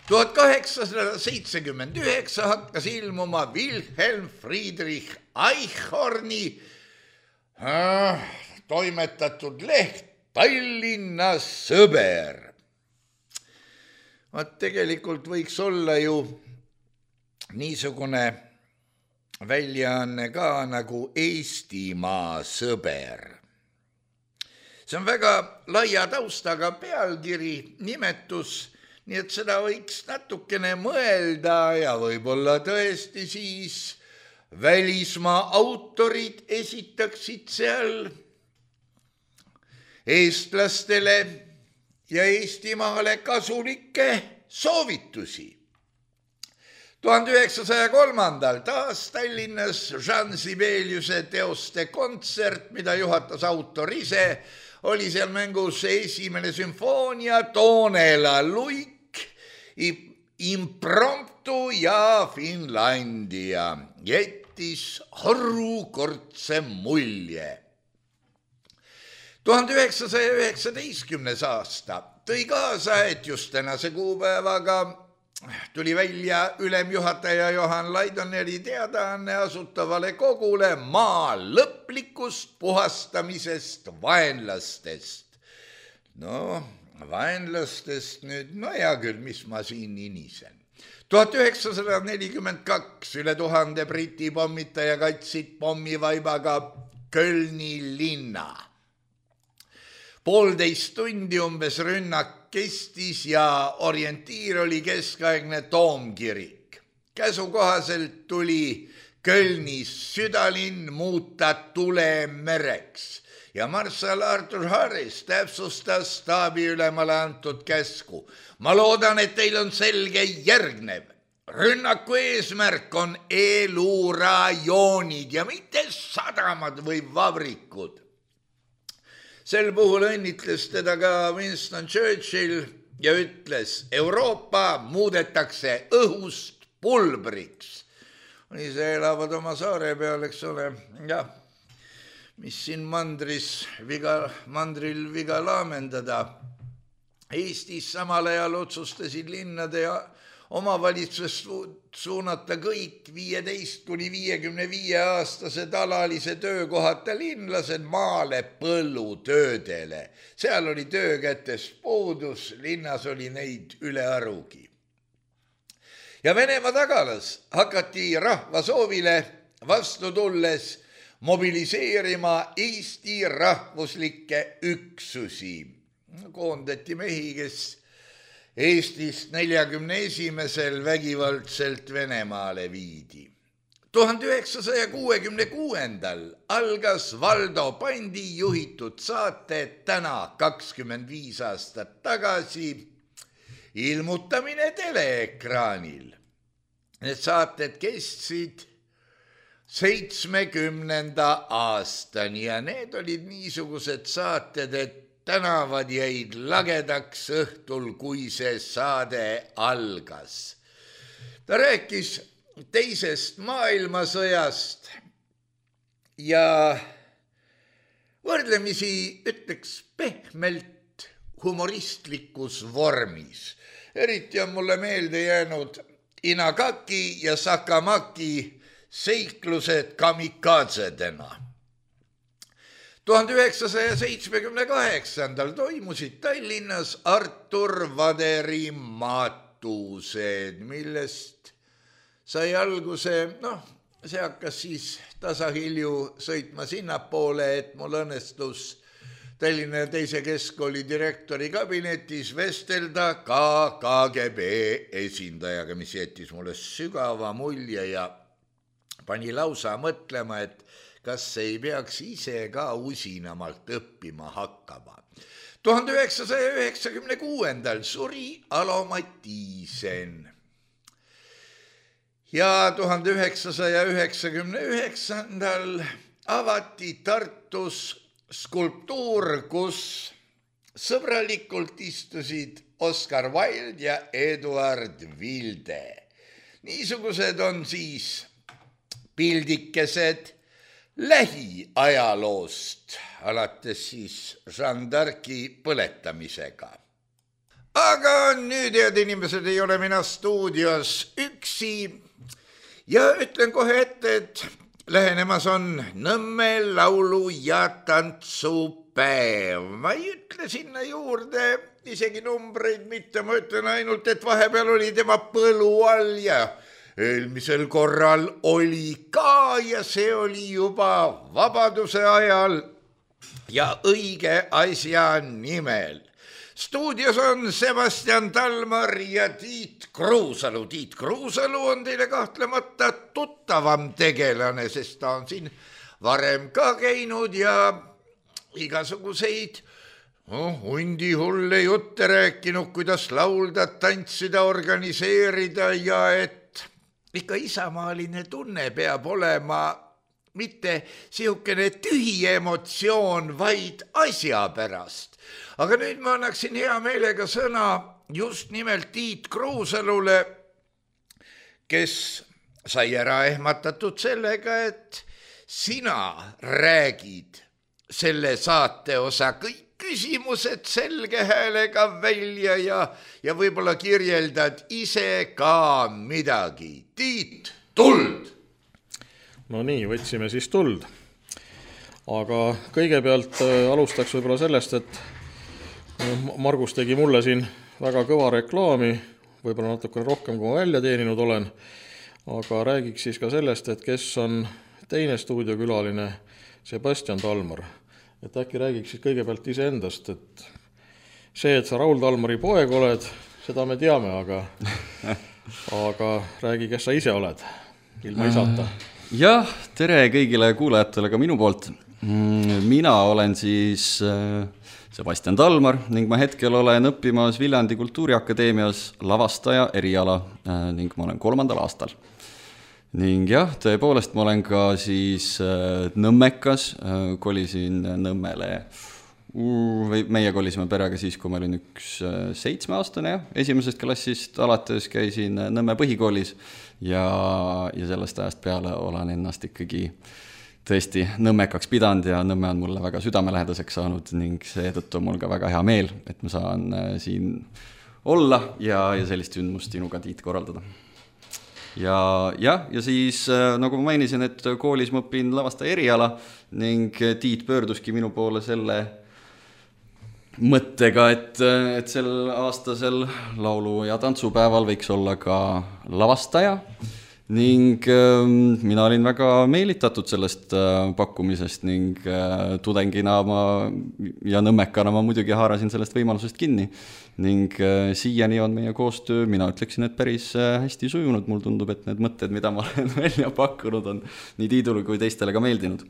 tuhat kaheksasada seitsekümmend üheksa hakkas ilmuma Wilhelm Friedrich Eichhorni äh, toimetatud leht Tallinna sõber. Vaat tegelikult võiks olla ju niisugune väljaanne ka nagu Eestimaa sõber. See on väga laia taustaga pealkiri, nimetus, nii et seda võiks natukene mõelda ja võib-olla tõesti siis välismaa autorid esitaksid seal eestlastele ja Eestimaale kasulikke soovitusi. tuhande üheksasaja kolmandal taas Tallinnas Jean Sibeliuse teoste kontsert, mida juhatas autor ise, oli seal mängus esimene sümfoonia, Toonela luik, Impromptu ja Finlandia. Jättis harukordse mulje. tuhande üheksasaja üheksateistkümnes aasta tõi kaasa, et just tänase kuupäevaga tuli välja ülemjuhataja Johan Laidoneri teadaanne Asutavale Kogule maa lõplikust puhastamisest vaenlastest. No, vaenlastest nüüd, no hea küll, mis ma siin inisen. tuhat üheksasada nelikümmend kaks üle tuhande Briti pommitaja katsid pommivaibaga Kölni linna. Poolteist tundi umbes rünnak kestis ja orientiir oli keskaegne Toomkirik. Käsu kohaselt tuli Kölnis südalinn muuta tulemereks ja marssal Arthur Harris täpsustas staabiülemale antud käsku. Ma loodan, et teil on selge järgnev. Rünnaku eesmärk on elurajoonid ja mitte sadamad või vabrikud. Sel puhul õnnitles teda ka Winston Churchill ja ütles, Euroopa muudetakse õhust pulbriks. Ise elavad oma saare peal, eks ole, jah, mis siin mandris viga, mandril viga laamendada. Eestis samal ajal otsustasid linnade ja omavalitsust suunata kõik viieteist kuni viiekümne viie aastased alalise töökohata linlased maale põllutöödele. Seal oli töökätest puudus, linnas oli neid üle arugi. Ja Venemaa tagalas hakati rahva soovile vastu tulles mobiliseerima Eesti rahvuslikke üksusi. Koondati mehi, kes Eestist neljakümne esimesel vägivaldselt Venemaale viidi. tuhande üheksasaja kuuekümne kuuendal algas Valdo Pandi juhitud saate Täna kakskümmend viis aastat tagasi ilmutamine teleekraanil. Need saated kestsid seitsmekümnenda aastani ja need olid niisugused saated, et tänavad jäid lagedaks õhtul, kui see saade algas. Ta rääkis teisest maailmasõjast ja võrdlemisi ütleks pehmelt humoristlikus vormis. Eriti on mulle meelde jäänud Inagaki ja Sakamaki seiklused kamikadsedena. tuhande üheksasaja seitsmekümne kaheksandal toimusid Tallinnas Artur Vaderi matused, millest sai alguse, noh, see hakkas siis tasahilju sõitma sinnapoole, et mul õnnestus Tallinna teise keskkooli direktori kabinetis vestelda ka K G B esindajaga, mis jättis mulle sügava mulje ja pani lausa mõtlema, et kas ei peaks ise ka usinamalt õppima hakkama. tuhande üheksasaja üheksakümne kuuendal suri Alo Mattiisen ja tuhande üheksasaja üheksakümne üheksandal avati Tartus skulptuur, kus sõbralikult istusid Oscar Wilde ja Eduard Vilde. Niisugused on siis pildikesed lähiajaloost, alates siis Jeanne d'Arci põletamisega. Aga nüüd, head inimesed, ei ole mina stuudios üksi ja ütlen kohe ette, et lähenemas on Nõmme laulu- ja tantsupäev. Ma ei ütle sinna juurde isegi numbreid mitte, ma ütlen ainult, et vahepeal oli tema põlu all ja eelmisel korral oli ka ja see oli juba vabaduse ajal ja õige asja nimel. Stuudios on Sebastian Talmar ja Tiit Kruusalu. Tiit Kruusalu on teile kahtlemata tuttavam tegelane, sest ta on siin varem ka käinud ja igasuguseid oh, hundi hulle jutte rääkinud, kuidas laulda, tantsida, organiseerida ja et ikka isamaaline tunne peab olema mitte sihukene tühi emotsioon, vaid asja pärast. Aga nüüd ma annaksin hea meelega sõna just nimelt Tiit Kruusalule, kes sai ära ehmatatud sellega, et sina räägid selle saate osa kõik küsimused selge häälega välja ja, ja võib-olla kirjeldad ise ka midagi. Tiit, tuld! No nii, võtsime siis tuld. Aga kõigepealt alustaks võib-olla sellest, et Margus tegi mulle siin väga kõva reklaami, võib-olla natukene rohkem, kui ma välja teeninud olen, aga räägiks siis ka sellest, et kes on teine stuudiokülaline, Sebastian Talmar. Et äkki räägiks siis kõigepealt ise endast, et see, et sa Raul Talmari poeg oled, seda me teame, aga, aga räägi, kes sa ise oled, ilma isata. Jah, tere kõigile kuulajatele ka minu poolt. Mina olen siis Sebastian Talmar ning ma hetkel olen õppimas Viljandi Kultuuriakadeemias lavastaja eriala ning ma olen kolmandal aastal. Ning jah, tõepoolest ma olen ka siis nõmmekas, kolisin Nõmmele, meie kolisime perega siis, kui ma olin üks seitsmeaastane, esimesest klassist alates käisin Nõmme põhikoolis ja, ja sellest ajast peale olen ennast ikkagi tõesti nõmmekaks pidanud ja Nõmme on mulle väga südamelähedaseks saanud ning seetõttu on mul ka väga hea meel, et ma saan siin olla ja, ja sellist sündmust sinuga, Tiit, korraldada. Ja, ja, ja siis, nagu ma mainisin, et koolis ma õpin lavastaja eriala ning Tiit pöörduski minu poole selle mõttega, et, et sel aastasel laulu- ja tantsupäeval võiks olla ka lavastaja ning äh, mina olin väga meelitatud sellest äh, pakkumisest ning äh, tudengina ma ja nõmmekana ma muidugi haarasin sellest võimalusest kinni ning äh, siiani on meie koostöö, mina ütleksin, et päris äh, hästi sujunud, mul tundub, et need mõtted, mida ma olen välja pakkunud, on nii Tiidule kui teistele ka meeldinud.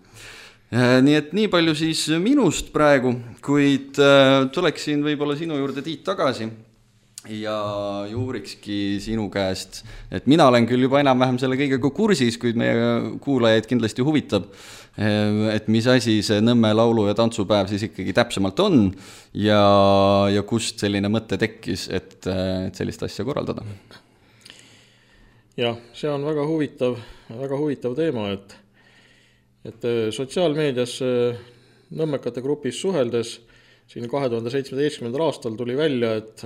Nii et nii palju siis minust praegu, kuid tuleksin võib-olla sinu juurde, Tiit, tagasi ja juurikski sinu käest, et mina olen küll juba enam-vähem selle kõigega kursis, kuid meie kuulajaid kindlasti huvitab, et mis asi see Nõmme laulu- ja tantsupäev siis ikkagi täpsemalt on ja, ja kust selline mõte tekkis, et, et sellist asja korraldada. Jah, see on väga huvitav, väga huvitav teema, et et sotsiaalmeedias nõmmekate grupis suheldes siin kahe tuhande seitsmeteistkümnendal aastal tuli välja, et,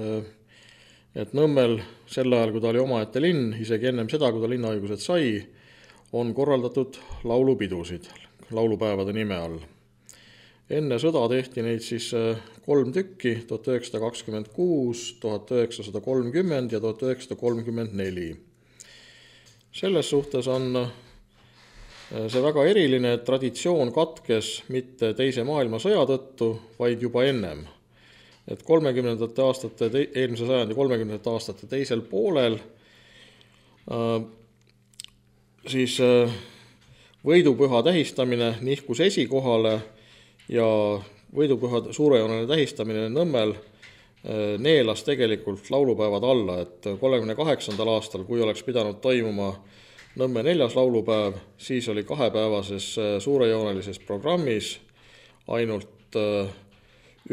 et Nõmmel sel ajal, kui ta oli omaette linn, isegi ennem seda, kui ta linnaõigused sai, on korraldatud laulupidusid laulupäevade nime all. Enne sõda tehti neid siis kolm tükki, tuhat üheksasada kakskümmend kuus, tuhat üheksasada kolmkümmend ja tuhat üheksasada kolmkümmend neli. Selles suhtes on see väga eriline, et traditsioon katkes mitte teise maailmasõja tõttu, vaid juba ennem. Et kolmekümnendate aastate, eelmise sajandi kolmekümnendate aastate teisel poolel äh, siis äh, võidupüha tähistamine nihkus esikohale ja võidupüha suurejooneline tähistamine Nõmmel äh, neelas tegelikult laulupäevad alla, et kolmekümne kaheksandal aastal, kui oleks pidanud toimuma Nõmme neljas laulupäev, siis oli kahepäevases suurejoonelises programmis ainult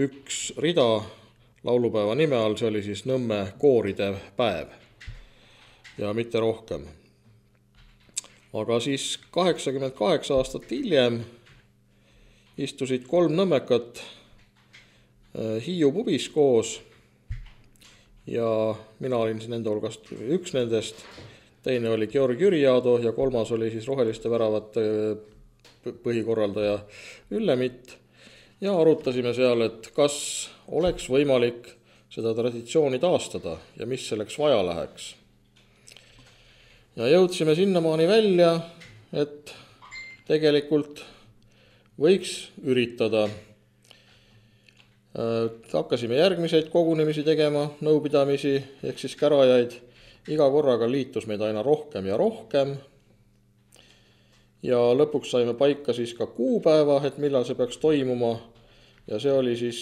üks rida laulupäeva nime all, see oli siis Nõmme kooride päev ja mitte rohkem. Aga siis kaheksakümmend kaheksa aastat hiljem istusid kolm nõmmekat Hiiu pubis koos ja mina olin nende hulgast üks nendest. Teine oli Georg Jüriado ja kolmas oli siis Roheliste väravate põhikorraldaja Üllemitt ja arutasime seal, et kas oleks võimalik seda traditsiooni taastada ja mis selleks vaja läheks. Ja jõudsime sinnamaani välja, et tegelikult võiks üritada. Hakkasime järgmiseid kogunemisi tegema, nõupidamisi ehk siis kärajaid. Iga korraga liitus meid aina rohkem ja rohkem ja lõpuks saime paika siis ka kuupäeva, et millal see peaks toimuma ja see oli siis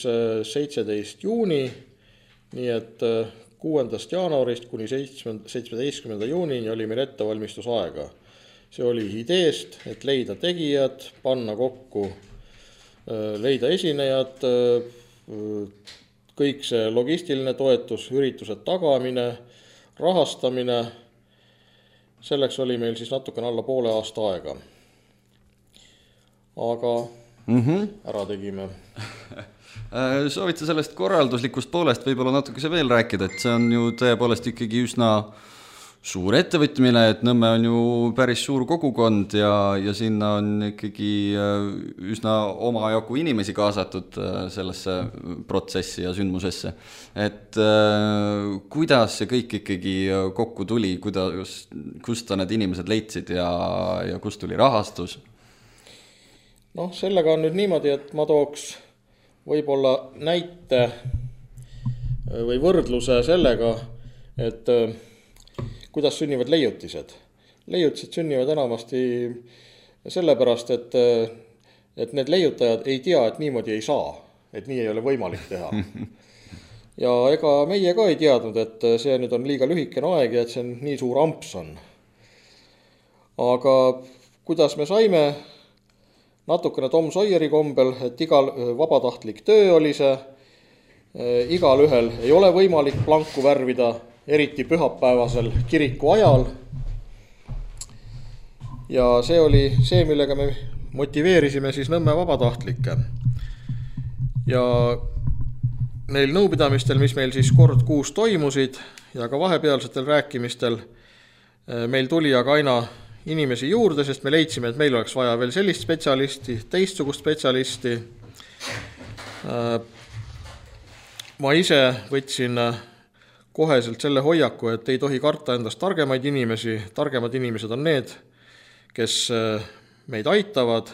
seitseteist juuni, nii et kuuendast jaanuarist kuni seitsmeteistkümnenda juunini oli meil ettevalmistusaega. See oli ideest, et leida tegijad, panna kokku, leida esinejad, kõik see logistiline toetus, üritused tagamine, rahastamine, selleks oli meil siis natukene alla poole aasta aega. Aga mm-hmm. ära tegime. Soovite sellest korralduslikust poolest võib-olla natukese veel rääkida, et see on ju tõepoolest ikkagi üsna suur ettevõtmine, et Nõmme on ju päris suur kogukond ja, ja sinna on ikkagi üsna omajagu inimesi kaasatud sellesse protsessi ja sündmusesse. Et kuidas see kõik ikkagi kokku tuli, kuidas, kust need inimesed leidsid ja, ja kust tuli rahastus? Noh, sellega on nüüd niimoodi, et ma tooks võib-olla näite või võrdluse sellega, et kuidas sünnivad leiutised. Leiutised sünnivad enamasti sellepärast, et, et need leiutajad ei tea, et niimoodi ei saa, et nii ei ole võimalik teha. Ja ega meie ka ei teadnud, et see nüüd on liiga lühikene aeg ja et see on nii suur amps on. Aga kuidas me saime natukene Tom Sawyeri kombel, et igal vabatahtlik töö oli see, igal ühel ei ole võimalik planku värvida, eriti pühapäevasel kiriku ajal. Ja see oli see, millega me motiveerisime siis Nõmme vabatahtlikke. Ja neil nõupidamistel, mis meil siis kord kuus toimusid ja ka vahepealsetel rääkimistel, meil tuli aga aina inimesi juurde, sest me leidsime, et meil oleks vaja veel sellist spetsialisti, teistsugust spetsialisti. Ma ise võtsin koheselt selle hoiaku, et ei tohi karta endast targemaid inimesi. Targemad inimesed on need, kes meid aitavad.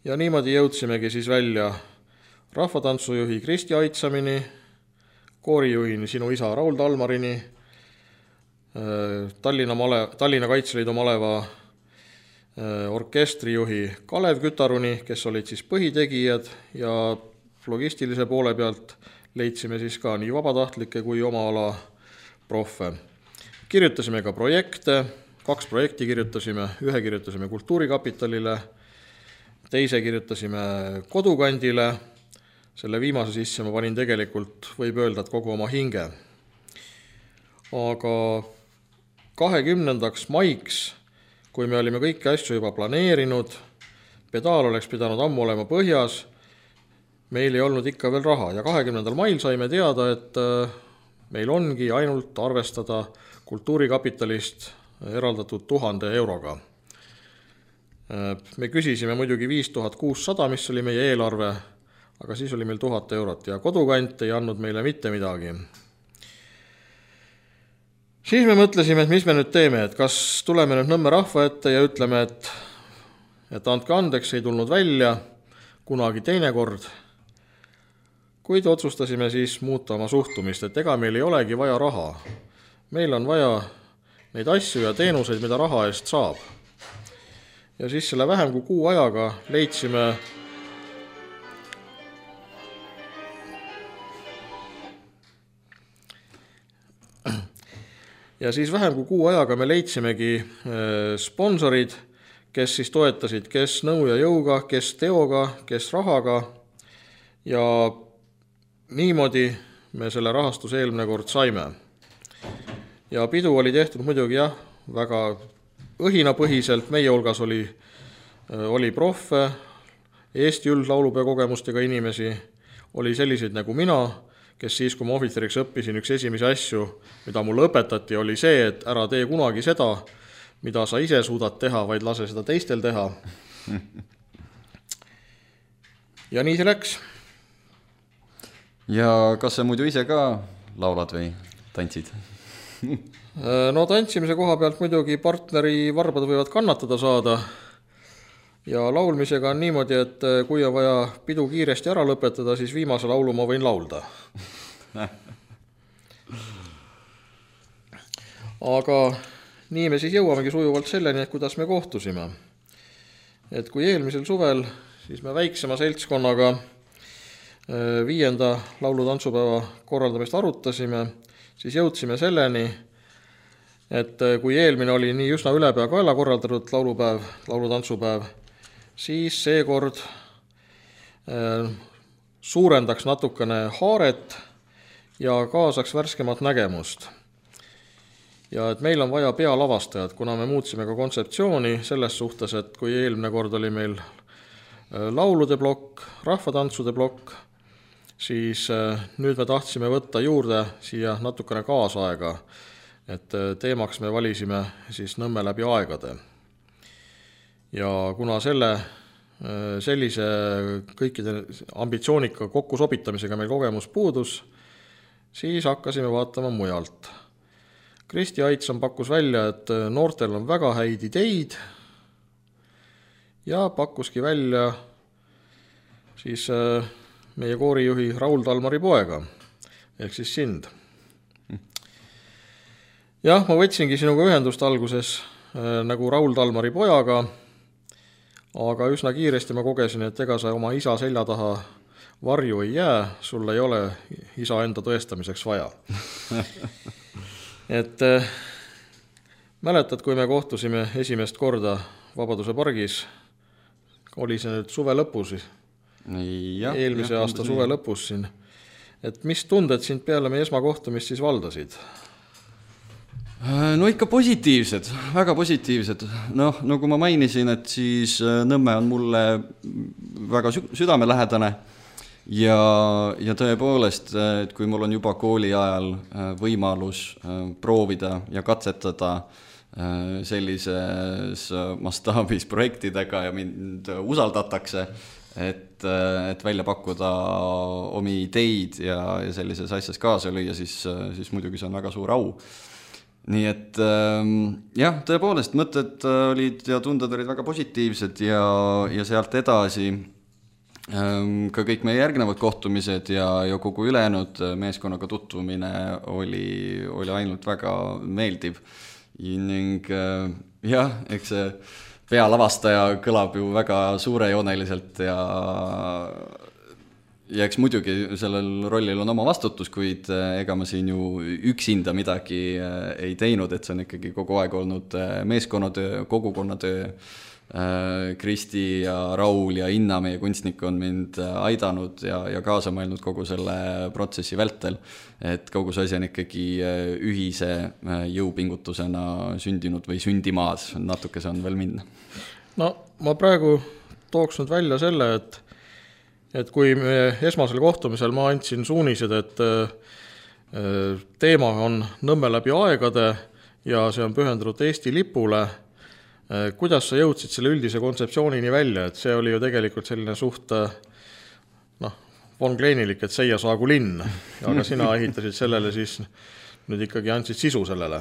Ja niimoodi jõudsimegi siis välja rahvatantsujuhi Kristi Aitsamini, koorijuhini sinu isa Raul Talmarini, Tallinna, male, Tallinna Kaitseliidu maleva orkestrijuhi Kalev Kütaruni, kes olid siis põhitegijad, ja logistilise poole pealt leidsime siis ka nii vabatahtlikke kui oma ala proffe. Kirjutasime ka projekte, kaks projekti kirjutasime, ühe kirjutasime Kultuurikapitalile, teise kirjutasime Kodukandile. Selle viimase sisse ma panin tegelikult, võib öelda, et kogu oma hinge. Aga kahekümnendaks maiks, kui me olime kõiki asju juba planeerinud, pedaal oleks pidanud ammu olema põhjas, meil ei olnud ikka veel raha. Ja kahekümnendal mail saime teada, et meil ongi ainult arvestada Kultuurikapitalist eraldatud tuhande euroga. Me küsisime muidugi viis tuhat kuussada, mis oli meie eelarve, aga siis oli meil tuhat eurot ja Kodukant ei andnud meile mitte midagi. Siis me mõtlesime, et mis me nüüd teeme, et kas tuleme nüüd Nõmme rahva ette ja ütleme, et, et andke andeks, ei tulnud välja kunagi teine kord. Kuid otsustasime siis muuta oma suhtumist, et ega meil ei olegi vaja raha. Meil on vaja neid asju ja teenuseid, mida raha eest saab. Ja siis selle vähem kui kuu ajaga leidsime Ja siis vähem kui kuu ajaga me leidsimegi sponsorid, kes siis toetasid, kes nõu ja jõuga, kes teoga, kes rahaga. Ja niimoodi me selle rahastuse eelmine kord saime. Ja pidu oli tehtud muidugi jah, väga õhinapõhiselt. Meie hulgas oli, oli proffe, Eesti üldlaulupeo kogemustega inimesi, oli selliseid nagu mina, kes siis, kui ma ohvitseriks õppisin, üks esimesi asju, mida mulle õpetati, oli see, et ära tee kunagi seda, mida sa ise suudad teha, vaid lase seda teistel teha. Ja nii see läks. Ja kas sa muidu ise ka laulad või tantsid? No tantsimise koha pealt muidugi partneri varbad võivad kannatada saada. Ja laulmisega on niimoodi, et kui on vaja pidu kiiresti ära lõpetada, siis viimase laulu ma võin laulda. Aga nii me siis jõuamegi sujuvalt selleni, et kuidas me kohtusime. Et kui eelmisel suvel, siis me väiksema seltskonnaga viienda laulutantsupäeva korraldamist arutasime, siis jõudsime selleni, et kui eelmine oli nii üsna ülepea kaela korraldatud laulupäev, laulutantsupäev, siis seekord suurendaks natukene haaret ja kaasaks värskemat nägemust. Ja et meil on vaja pealavastajad, kuna me muutsime ka kontseptsiooni selles suhtes, et kui eelmine kord oli meil laulude blokk, rahvatantsude blokk, siis nüüd me tahtsime võtta juurde siia natukene kaasaega, et teemaks me valisime siis Nõmme läbi aegade. Ja kuna selle, sellise kõikide ambitsioonika kokkusobitamisega meil kogemus puudus, siis hakkasime vaatama mujalt. Kristi Aitsam pakkus välja, et noortel on väga häid ideid ja pakkuski välja siis meie koorijuhi Raul Talmari poega, ehk siis sind. Jah, ma võtsingi sinuga ühendust alguses nagu Raul Talmari pojaga, aga üsna kiiresti ma kogesin, et ega sa oma isa selja taha varju ei jää, sul ei ole isa enda tõestamiseks vaja. Et äh, mäletad, kui me kohtusime esimest korda Vabaduse pargis, oli see nüüd suve lõpus, ja, eelmise ja, aasta suve lõpus siin. Et mis tunded sind peale meie esmakohtumist siis valdasid? No ikka positiivsed, väga positiivsed. Noh, nagu ma mainisin, et siis Nõmme on mulle väga südamelähedane ja, ja tõepoolest, et kui mul on juba kooli ajal võimalus proovida ja katsetada sellises mastaabis projektidega ja mind usaldatakse, et, et välja pakkuda omi ideid ja, ja sellises asjas kaasa lüüa, siis, siis muidugi see on väga suur au. Nii et jah, tõepoolest mõtted olid ja tunded olid väga positiivsed ja, ja sealt edasi ka kõik meie järgnevad kohtumised ja, ja kogu ülejäänud meeskonnaga tutvumine oli, oli ainult väga meeldiv. Ning jah, eks see pealavastaja kõlab ju väga suurejooneliselt ja ja eks muidugi sellel rollil on oma vastutus, kuid ega ma siin ju üksinda midagi ei teinud, et see on ikkagi kogu aeg olnud meeskonnatöö, kogukonnatöö. Kristi ja Raul ja Inna, meie kunstnik, on mind aidanud ja, ja kaasa mõelnud kogu selle protsessi vältel, et kogu see asi on ikkagi ühise jõupingutusena sündinud või sündimaas, natuke see on veel minna. No ma praegu tooks nüüd välja selle, et et kui me esmasel kohtumisel ma andsin suunised, et teema on Nõmme läbi aegade ja see on pühendatud Eesti lipule, kuidas sa jõudsid selle üldise kontseptsioonini välja, et see oli ju tegelikult selline suht noh, von Kleinilik, et seia saagu linn, aga sina ehitasid sellele siis nüüd ikkagi andsid sisu sellele?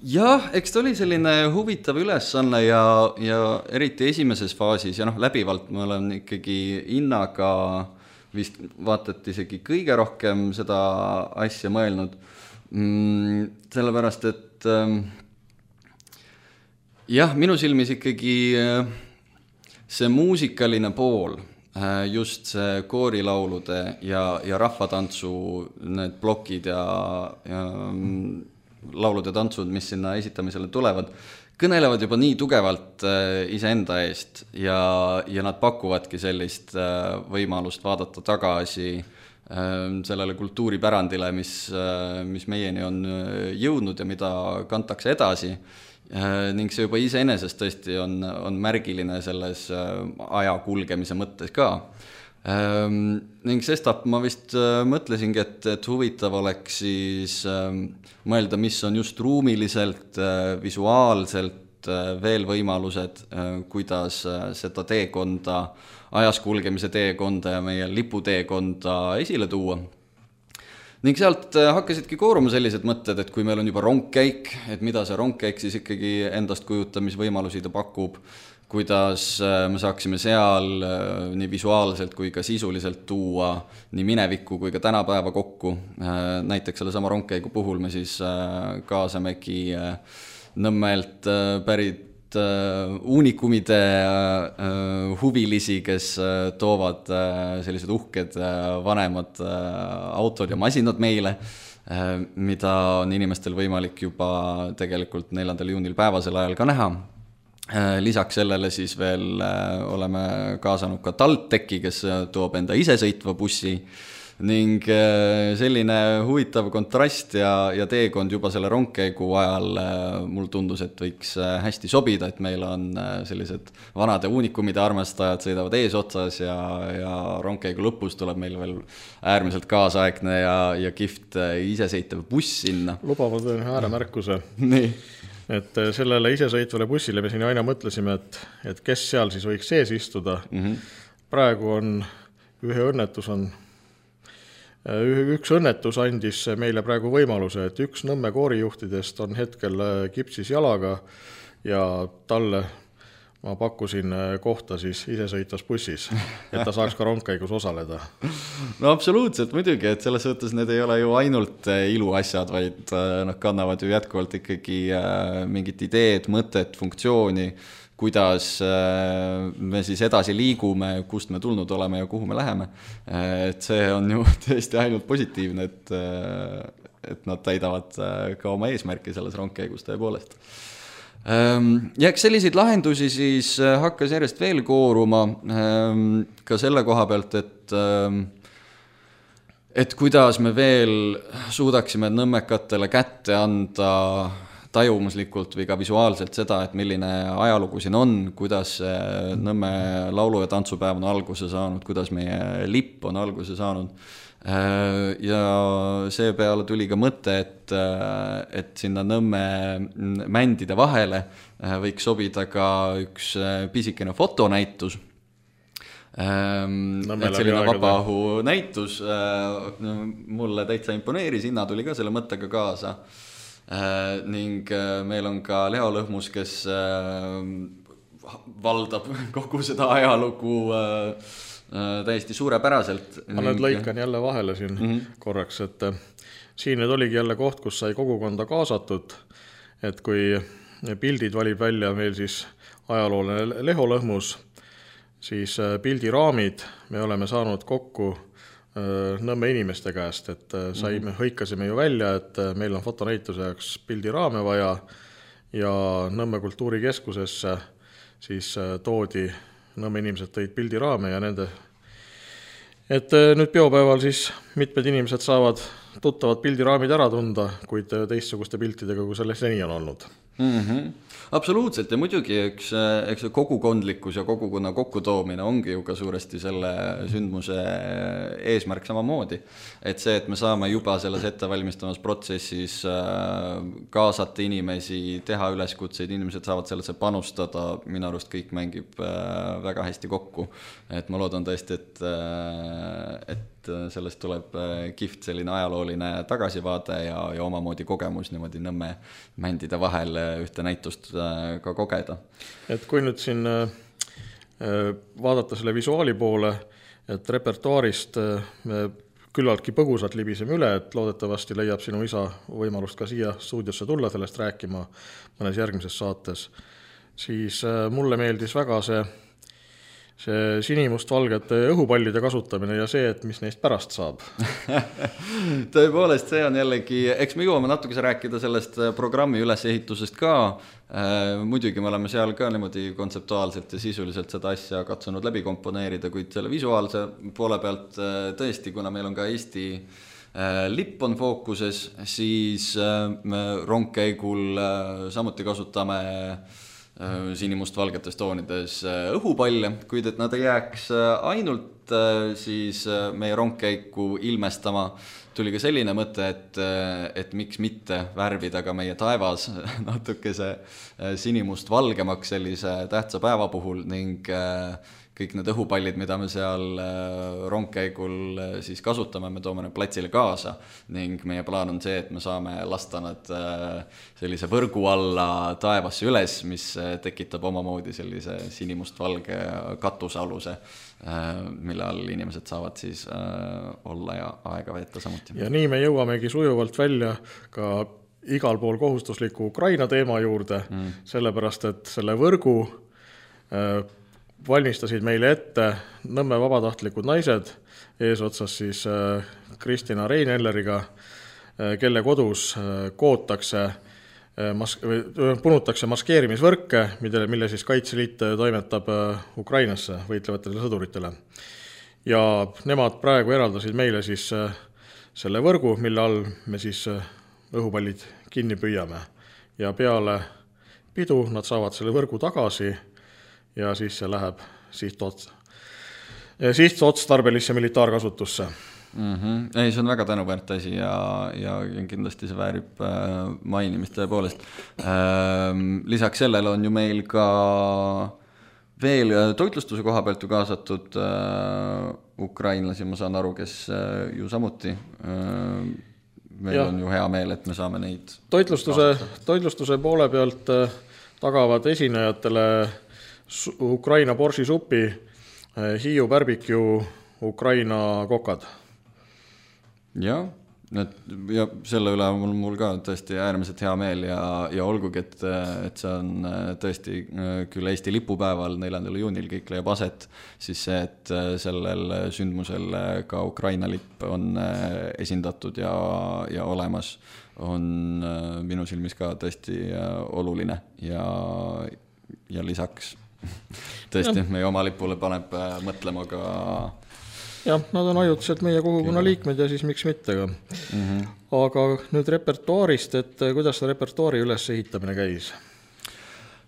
Jah, eks ta oli selline huvitav ülesanne ja, ja eriti esimeses faasis ja noh, läbivalt ma olen ikkagi Innaga vist vaatati isegi kõige rohkem seda asja mõelnud, mm, sellepärast, et jah, minu silmis ikkagi see muusikaline pool, just see koorilaulude ja, ja rahvatantsu need plokid ja, ja laulud ja tantsud, mis sinna esitamisele tulevad, kõnelevad juba nii tugevalt iseenda eest ja, ja nad pakuvadki sellist võimalust vaadata tagasi sellele kultuuripärandile, mis, mis meieni on jõudnud ja mida kantakse edasi. Ning see juba iseenesest tõesti on, on märgiline selles aja kulgemise mõttes ka. Ning sestap ma vist mõtlesingi, et, et huvitav oleks siis mõelda, mis on just ruumiliselt, visuaalselt veel võimalused, kuidas seda teekonda, ajas kulgemise teekonda ja meie liputeekonda esile tuua. Ning sealt hakkasidki kooruma sellised mõtted, et kui meil on juba rongkäik, et mida see rongkäik siis ikkagi endast kujutamisvõimalusi ta pakub, kuidas me saaksime seal nii visuaalselt kui ka sisuliselt tuua nii minevikku kui ka tänapäeva kokku. Näiteks selle sama rongkäigu puhul me siis kaasamegi Nõmmelt pärit uunikumide huvilisi, kes toovad sellised uhked vanemad autod ja masinad meile, mida on inimestel võimalik juba tegelikult neljandal juunil päevasel ajal ka näha. Lisaks sellele siis veel oleme kaasanud ka TalTechi, kes toob enda isesõitva bussi ning selline huvitav kontrast ja, ja teekond juba selle rongkäigu ajal mul tundus, et võiks hästi sobida, et meil on sellised vanade uunikumide armastajad sõidavad eesotsas ja, ja rongkäigu lõpus tuleb meil veel äärmiselt kaasaegne ja, ja kift isesõitev buss sinna. Lubavad veel ääremärkuse. Nii. Et sellele isesõitvale bussile me siin aina mõtlesime, et, et kes seal siis võiks sees istuda. Mm-hmm. Praegu on ühe õnnetus on Üks õnnetus andis meile praegu võimaluse, et üks Nõmme koorijuhtidest on hetkel kipsis jalaga ja talle ma pakkusin kohta siis isesõitvas bussis, et ta saaks ka rongkäigus osaleda. No absoluutselt muidugi, et selles mõttes need ei ole ju ainult iluasjad, vaid noh, kannavad ju jätkuvalt ikkagi mingit ideed, mõtet, funktsiooni, kuidas me siis edasi liigume, kust me tulnud oleme ja kuhu me läheme. Et see on ju tõesti ainult positiivne, et, et nad täidavad ka oma eesmärki selles rongkäigus tõepoolest. Ja eks selliseid lahendusi siis hakkas järjest veel kooruma ka selle koha pealt, et et kuidas me veel suudaksime nõmmekatele kätte anda tajumuslikult või ka visuaalselt seda, et milline ajalugu siin on, kuidas Nõmme laulu- ja tantsupäev on alguse saanud, kuidas meie lipp on alguse saanud. Ja seepeale tuli ka mõte, et, et sinna Nõmme mändide vahele võiks sobida ka üks pisikene fotonäitus. Et selline vabaõhu näitus mulle täitsa imponeeris, Inna tuli ka selle mõttega kaasa. Äh, ning äh, meil on ka Leo Lõhmus, kes äh, valdab kogu seda ajalugu äh, äh, täiesti suurepäraselt. Ma nüüd lõikan jälle vahele siin mm-hmm. korraks, et äh, siin nüüd oligi jälle koht, kus sai kogukonda kaasatud, et kui pildid valib välja meil siis ajalooline Leo Lõhmus, siis äh, pildiraamid me oleme saanud kokku Nõmme inimeste käest, et saime, hõikasime ju välja, et meil on fotonäituse jaoks pildiraame vaja ja Nõmme kultuurikeskusesse siis toodi, Nõmme inimesed tõid pildiraame ja nende, et nüüd peopäeval siis mitmed inimesed saavad tuttavad pildiraamid ära tunda, kuid teistsuguste piltidega, kui selle seni on olnud. Mm-hmm. Absoluutselt ja muidugi eks, eks kogukondlikkus ja kogukonna kokkutoomine ongi ju ka suuresti selle sündmuse eesmärk samamoodi. Et see, et me saame juba selles ettevalmistamas protsessis kaasata inimesi, teha üleskutseid, inimesed saavad sellesse panustada, minu arust kõik mängib väga hästi kokku. Et ma loodan tõesti, et, et sellest tuleb kihvt selline ajalooline tagasivaade ja, ja omamoodi kogemus niimoodi Nõmme mändide vahel ühte näitust ka kogeda. Et kui nüüd siin vaadata selle visuaali poole, et repertuaarist me küllaltki põgusalt libiseme üle, et loodetavasti leiab sinu isa võimalust ka siia stuudiosse tulla sellest rääkima mõnes järgmises saates, siis mulle meeldis väga see see sinimust-valgete õhupallide kasutamine ja see, et mis neist pärast saab. Tõepoolest, see on jällegi, eks me jõuame natukese rääkida sellest programmi ülesehitusest ka. Muidugi me oleme seal ka niimoodi kontseptuaalselt ja sisuliselt seda asja katsunud läbi komponeerida, kuid selle visuaalse poole pealt tõesti, kuna meil on ka Eesti lipp on fookuses, siis me rongkäigul samuti kasutame sinimust-valgetes toonides õhupalle, kuid et nad ei jääks ainult siis meie rongkäiku ilmestama, tuli ka selline mõte, et, et miks mitte värvida ka meie taevas natukese sinimust-valgemaks sellise tähtsa päeva puhul ning kõik need õhupallid, mida me seal rongkäigul siis kasutame, me toome need platsile kaasa ning meie plaan on see, et me saame lasta nad sellise võrgu alla taevasse üles, mis tekitab omamoodi sellise sinimust-valge katusaluse, mille all inimesed saavad siis olla ja aega veeta samuti. Ja nii me jõuamegi sujuvalt välja ka igal pool kohustusliku Ukraina teema juurde, mm. sellepärast, et selle võrgu valmistasid meile ette Nõmme vabatahtlikud naised, eesotsas siis Kristina Reinelleriga, kelle kodus kootakse, mas- punutakse maskeerimisvõrke, mille, mille siis Kaitseliit toimetab Ukrainasse võitlevatele sõduritele. Ja nemad praegu eraldasid meile siis selle võrgu, mille all me siis õhupallid kinni püüame. Ja peale pidu nad saavad selle võrgu tagasi ja siis see läheb sihtots- sihtotstarbelisse militaarkasutusse. Mm-hmm. Ei, see on väga tänuväärt asi ja, ja kindlasti see väärib mainimist tõepoolest. Lisaks sellele on ju meil ka veel toitlustuse koha pealt ju kaasatud ukrainlasi, ma saan aru, kes ju samuti meil ja. On ju hea meel, et me saame neid toitlustuse, toitlustuse poole pealt tagavad esinejatele Ukraina borši supi, Hiiu barbecue, Ukraina kokad. Ja, et, ja selle üle on mul ka tõesti äärmiselt hea meel ja, ja olgugi, et, et see on tõesti küll Eesti lipupäeval neljandal juunil kõik leiab aset, siis see, et sellel sündmusel ka Ukraina lipp on esindatud ja, ja olemas, on minu silmis ka tõesti oluline ja, ja lisaks tõesti, meie oma lipule paneb mõtlema ka jah, nad on ajutiselt meie kogukonna liikmed ja siis miks mitte ka. Mm-hmm. Aga nüüd repertuaarist, et kuidas see repertuaari üles ehitamine käis?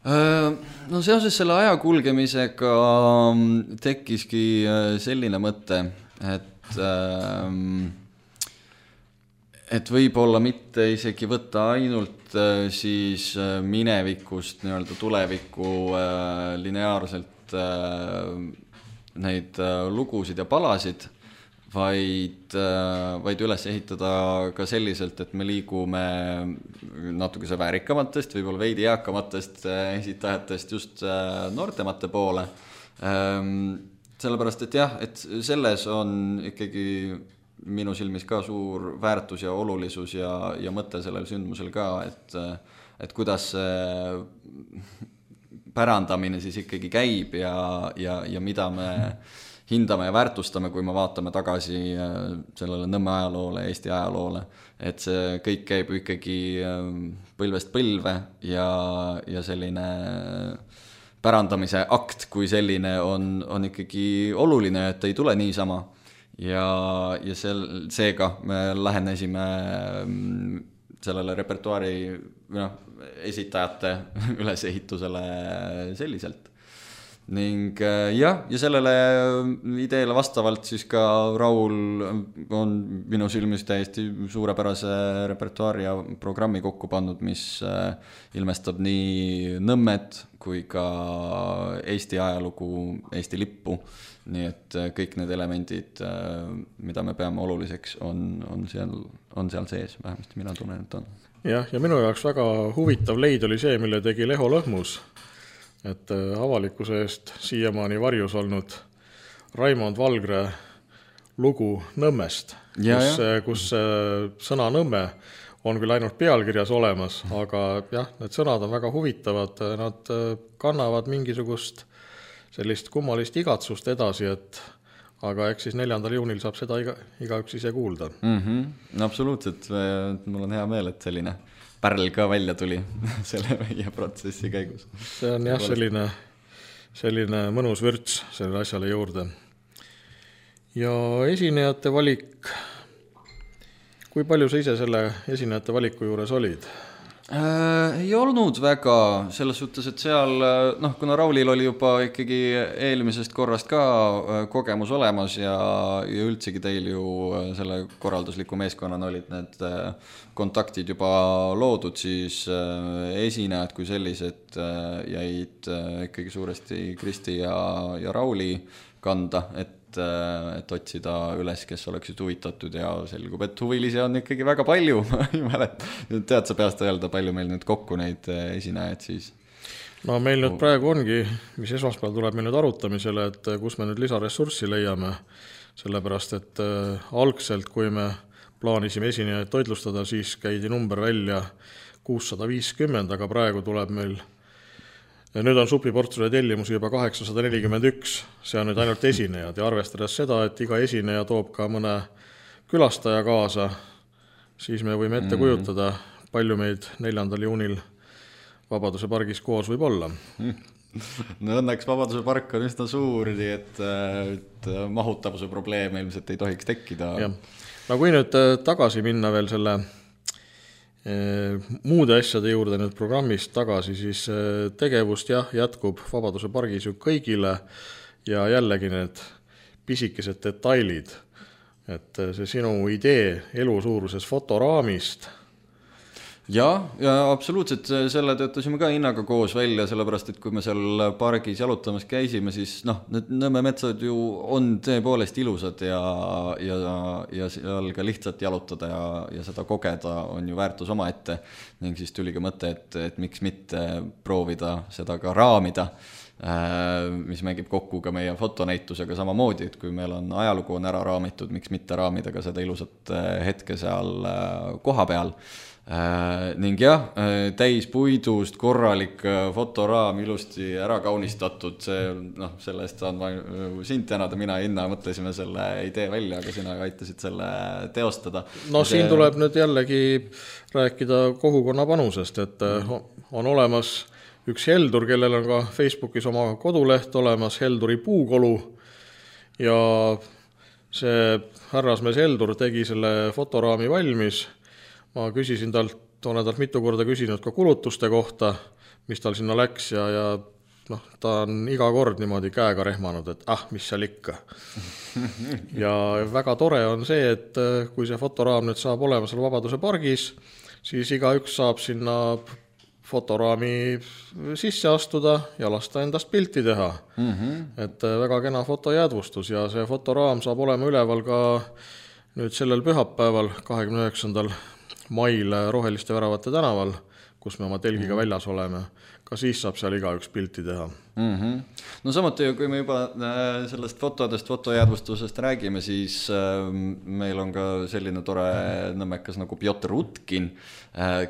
No seoses selle aja kulgemisega tekkiski selline mõte, et et võib-olla mitte isegi võtta ainult siis minevikust nii-öelda tulevikku lineaarselt neid lugusid ja palasid, vaid, vaid üles ehitada ka selliselt, et me liigume natukese väärikamatest, võib-olla veidi eakamatest esitajatest just noortemate poole. Sellepärast, et jah, et selles on ikkagi minu silmis ka suur väärtus ja olulisus ja, ja mõte sellel sündmusel ka, et, et kuidas pärandamine siis ikkagi käib ja, ja, ja mida me hindame ja väärtustame, kui me vaatame tagasi sellele Nõmme ajaloole, Eesti ajaloole, et see kõik käib ikkagi põlvest põlve ja, ja selline pärandamise akt kui selline on, on ikkagi oluline, et ei tule niisama. Ja, ja sel, seega me lähenesime sellele repertuaari no, esitajate ülesehitusele selliselt. Ning jah, ja sellele ideele vastavalt siis ka Raul on minu silmis täiesti suurepärase repertuaari ja programmi kokku pannud, mis ilmestab nii Nõmmet kui ka Eesti ajalugu, Eesti lippu. Nii et kõik need elemendid, mida me peame oluliseks, on, on, seal, on seal sees, vähemasti mina tunnen, et on. Jah, ja minu jaoks väga huvitav leid oli see, mille tegi Leho Lõhmus, et avalikkuse eest siiamaani varjus olnud Raimond Valgre lugu Nõmmest, ja, kus, ja. kus sõna Nõmme on küll ainult pealkirjas olemas, aga jah, need sõnad on väga huvitavad, nad kannavad mingisugust sellist kummalist igatsust edasi, et aga eks siis neljandal juunil saab seda iga, igaüks ise kuulda. Mm-hmm. No, absoluutselt, mul on hea meel, et selline pärl ka välja tuli selle meie protsessi käigus. See on jah selline, selline mõnus vürts selle asjale juurde. Ja esinejate valik, kui palju sa ise selle esinejate valiku juures olid? Äh, ei olnud väga, selles suhtes, et seal, noh, kuna Raulil oli juba ikkagi eelmisest korrast ka kogemus olemas ja, ja üldsegi teil ju selle korraldusliku meeskonnana olid need kontaktid juba loodud, siis esinejad kui sellised jäid ikkagi suuresti Kristi ja, ja Rauli kanda, et et otsida üles, kes oleksid huvitatud ja selgub, et huvilisi on ikkagi väga palju. Tead sa peast öelda, palju meil nüüd kokku neid esinejaid siis? No meil nüüd praegu ongi, mis esmaspäeval tuleb meil nüüd arutamisele, et kus me nüüd lisaressurssi leiame, sellepärast, et algselt, kui me plaanisime esinejaid toitlustada, siis käidi number välja kuussada viiskümmend, aga praegu tuleb meil ja nüüd on supiportsule tellimusi juba kaheksasada nelikümmend üks, see on nüüd ainult esinejad ja arvestades seda, et iga esineja toob ka mõne külastaja kaasa, siis me võime ette kujutada, palju meid neljandal juunil Vabaduse pargis koos võib olla. No õnneks Vabaduse park on üsna suur, nii et, et mahutavuse probleeme ilmselt ei tohiks tekkida. Ja. No kui nüüd tagasi minna veel selle muude asjade juurde nüüd programmist tagasi, siis tegevust jah, jätkub Vabaduse pargis ju kõigile ja jällegi need pisikesed detailid, et see sinu idee elusuuruses fotoraamist. Ja, ja absoluutselt selle töötasime ka hinnaga koos välja, sellepärast, et kui me seal pargis jalutamas käisime, siis noh, need Nõmme metsad ju on tõepoolest ilusad ja, ja, ja seal ka lihtsalt jalutada ja, ja seda kogeda on ju väärtus oma ette. Ning siis tuli ka mõte, et, et miks mitte proovida seda ka raamida, mis mängib kokku ka meie fotonäitusega samamoodi, et kui meil on ajalugu on ära raamitud, miks mitte raamida ka seda ilusat hetke seal koha peal. Äh, ning jah, täis puidust korralik fotoraam ilusti ära kaunistatud, see, noh, selle eest saan ma sind tänada, mina ja Inna mõtlesime selle idee välja, aga sina aitasid selle teostada. No see... siin tuleb nüüd jällegi rääkida kogukonna panusest, et on olemas üks Heldur, kellel on ka Facebookis oma koduleht olemas, Helduri puukolu ja see härrasmees Eldur tegi selle fotoraami valmis, ma küsisin talt, olen talt mitu korda küsinud ka kulutuste kohta, mis tal sinna läks ja, ja noh, ta on iga kord niimoodi käega rehmanud, et ah, mis seal ikka. Ja väga tore on see, et kui see fotoraam nüüd saab olema seal Vabaduse pargis, siis igaüks saab sinna fotoraami sisse astuda ja lasta endast pilti teha. Mm-hmm. Et väga kena fotojäädvustus ja see fotoraam saab olema üleval ka nüüd sellel pühapäeval, kahekümne üheksandal mail Roheliste väravate tänaval, kus me oma telgiga mm-hmm. väljas oleme. Ka siis saab seal igaüks pilti teha. Mm-hmm. No samuti, kui me juba sellest fotodest, fotojäädvustusest räägime, siis meil on ka selline tore nõmmekas nagu Pjotr Utkin,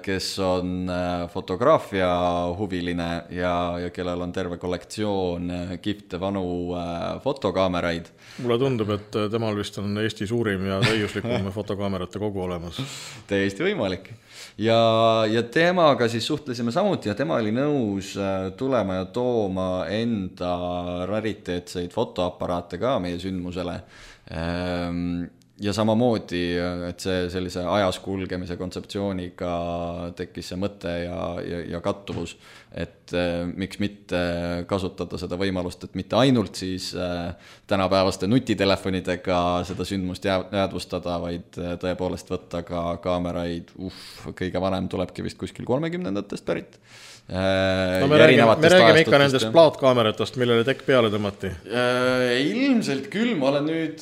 kes on fotograafia huviline ja, ja kellel on terve kollektsioon kihvte vanu fotokaameraid. Mulle tundub, et temal vist on Eesti suurim ja täiuslikum fotokaamerate kogu olemas. Täiesti võimalik. Ja, ja temaga siis suhtlesime samuti ja tema oli nõus tulema ja tooma enda rariteetseid fotoaparaate ka meie sündmusele. Ja samamoodi, et see sellise ajas kulgemise kontseptsiooniga tekkis see mõte ja, ja, ja kattuvus, et miks mitte kasutada seda võimalust, et mitte ainult siis tänapäevaste nutitelefonidega seda sündmust jäädvustada, vaid tõepoolest võtta ka kaameraid, uff, kõige vanem tulebki vist kuskil kolmekümnendatest pärit. No me räägime, me räägime ikka nendest plaatkaameratest, millele tekk peale tõmmati. Ilmselt küll, ma olen nüüd,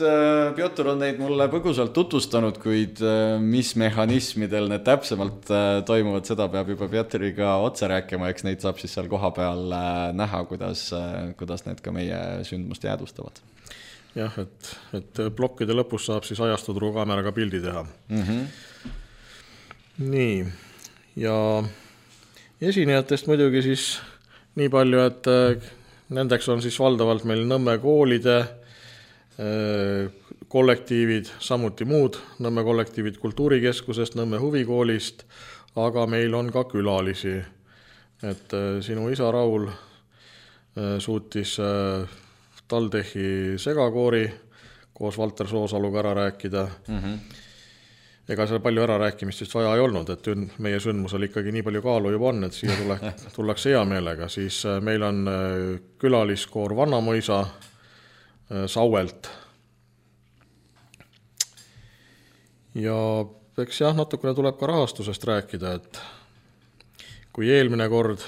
Pjotr on neid mulle põgusalt tutvustanud, kuid mis mehhanismidel need täpsemalt toimuvad, seda peab juba Pjotriga otse rääkima, eks neid saab siis seal koha peal näha, kuidas, kuidas need ka meie sündmust jäädvustavad. Jah, et, et plokkide lõpus saab siis ajastudru kaameraga pildi teha. Mm-hmm. Nii, ja esinejatest muidugi siis nii palju, et nendeks on siis valdavalt meil Nõmme koolide kollektiivid, samuti muud Nõmme kollektiivid Kultuurikeskusest, Nõmme huvikoolist, aga meil on ka külalisi. Et sinu isa Raul suutis Taldechi segakoori koos Valter Soosaluga ära rääkida. Mm-hmm. Ega seal palju ära rääkimist vist vaja ei olnud, et meie sündmusel ikkagi nii palju kaalu juba on, et siia tule, tullakse hea meelega. Siis meil on külaliskoor Vannamoisa Sauelt. Ja eks jah, natukene tuleb ka rahastusest rääkida, et kui eelmine kord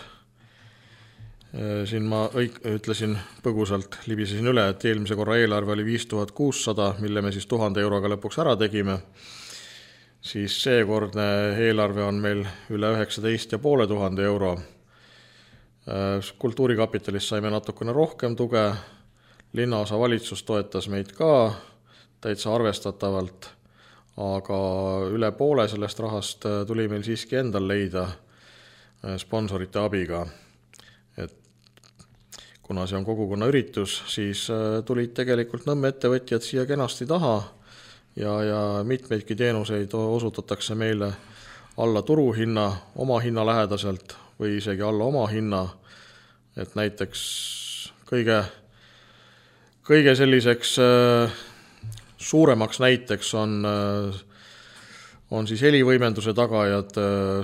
siin ma õig, ütlesin põgusalt, libisesin üle, et eelmise korra eelarve oli viis tuhat kuussada, mille me siis tuhande euroga lõpuks ära tegime, siis seekordne eelarve on meil üle üheksateist ja poole tuhande euro. Kultuurikapitalist saime natukene rohkem tuge, linnaosa valitsus toetas meid ka täitsa arvestatavalt, aga üle poole sellest rahast tuli meil siiski endal leida sponsorite abiga. Et kuna see on kogukonna üritus, siis tulid tegelikult Nõmme ettevõtjad siia kenasti taha ja, ja mitmeidki teenuseid osutatakse meile alla turuhinna, oma hinna lähedaselt või isegi alla oma hinna. Et näiteks kõige, kõige selliseks suuremaks näiteks on, on siis helivõimenduse tagajad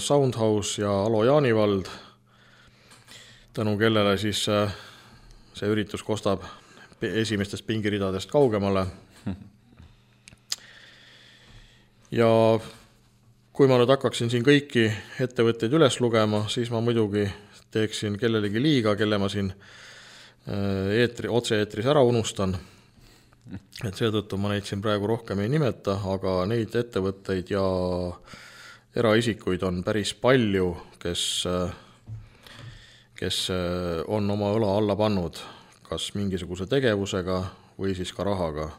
Soundhouse ja Alo Jaanivald, tänu kellele siis see üritus kostab esimestest pingiridadest kaugemale. Ja kui ma nüüd hakkaksin siin kõiki ettevõtteid üles lugema, siis ma muidugi teeksin kellelegi liiga, kelle ma siin eetri, otse-eetris ära unustan. Et seetõttu ma neid siin praegu rohkem ei nimeta, aga neid ettevõtteid ja eraisikuid on päris palju, kes, kes on oma õla alla pannud kas mingisuguse tegevusega või siis ka rahaga.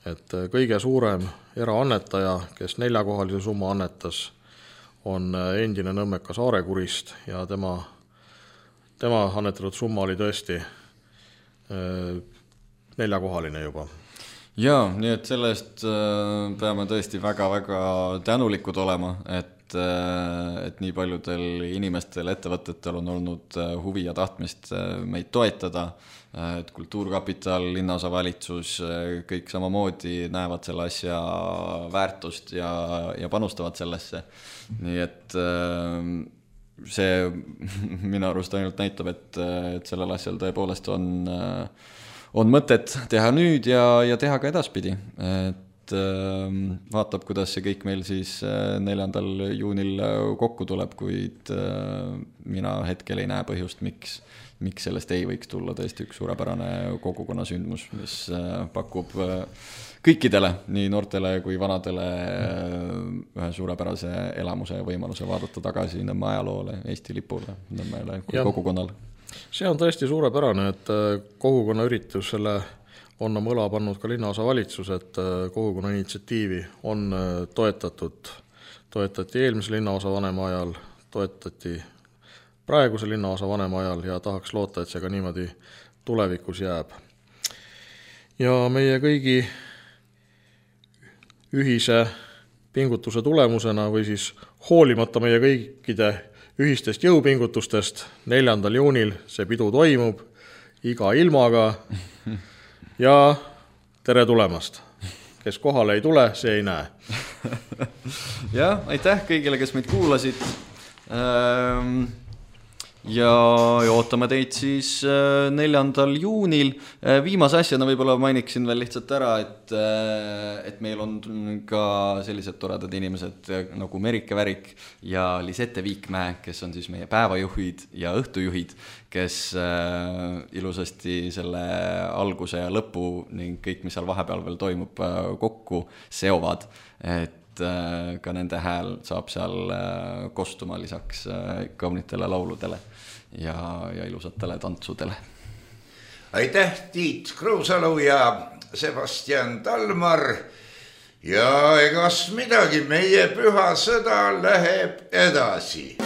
Et kõige suurem eraannetaja, kes neljakohalise summa annetas, on endine nõmmekas Aarekurist ja tema, tema annetatud summa oli tõesti neljakohaline juba. Jaa, nii et sellest peame tõesti väga-väga tänulikud olema, et, et nii paljudel inimestel, ettevõtetel on olnud huvi ja tahtmist meid toetada, et Kultuurkapital, linnaosavalitsus, kõik samamoodi näevad selle asja väärtust ja, ja panustavad sellesse. Nii et see minu arust ainult näitab, et, et sellel asjal tõepoolest on on mõtet teha nüüd ja, ja teha ka edaspidi. Et äh, vaatab, kuidas see kõik meil siis neljandal juunil kokku tuleb, kuid äh, mina hetkel ei näe põhjust, miks, miks sellest ei võiks tulla tõesti üks suurepärane kogukonna sündmus, mis äh, pakub äh, kõikidele, nii noortele kui vanadele äh, ühe suurepärase elamuse ja võimaluse vaadata tagasi Nõmme ajaloole, Eesti lipule, Nõmmele kui kogukonnale. See on tõesti suurepärane, et kogukonna üritusele on oma õla pannud ka linnaosavalitsus, et kogukonna initsiatiivi on toetatud. Toetati eelmise linnaosa vanema ajal, toetati praeguse linnaosa vanema ajal ja tahaks loota, et see ka niimoodi tulevikus jääb. Ja meie kõigi ühise pingutuse tulemusena või siis hoolimata meie kõikide ühistest jõupingutustest neljandal juunil see pidu toimub iga ilmaga ja tere tulemast. Kes kohale ei tule, see ei näe. Jah, aitäh kõigile, kes meid kuulasid. Ja ootame teid siis neljandal juunil. Viimase asjana võib-olla mainiksin veel lihtsalt ära, et, et meil on ka sellised toredad inimesed nagu Merike Värik ja Lisette Viikmäe, kes on siis meie päevajuhid ja õhtujuhid, kes ilusasti selle alguse ja lõpu ning kõik, mis seal vahepeal veel toimub, kokku seovad, et ka nende hääl saab seal kostuma lisaks kaunitele lauludele ja, ja ilusatele tantsudele. Aitäh, Tiit Kruusalu ja Sebastian Talmar. Ja egas midagi, meie püha sõda läheb edasi.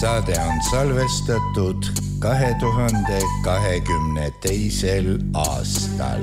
saade on salvestatud kahe tuhande kahekümne teisel aastal.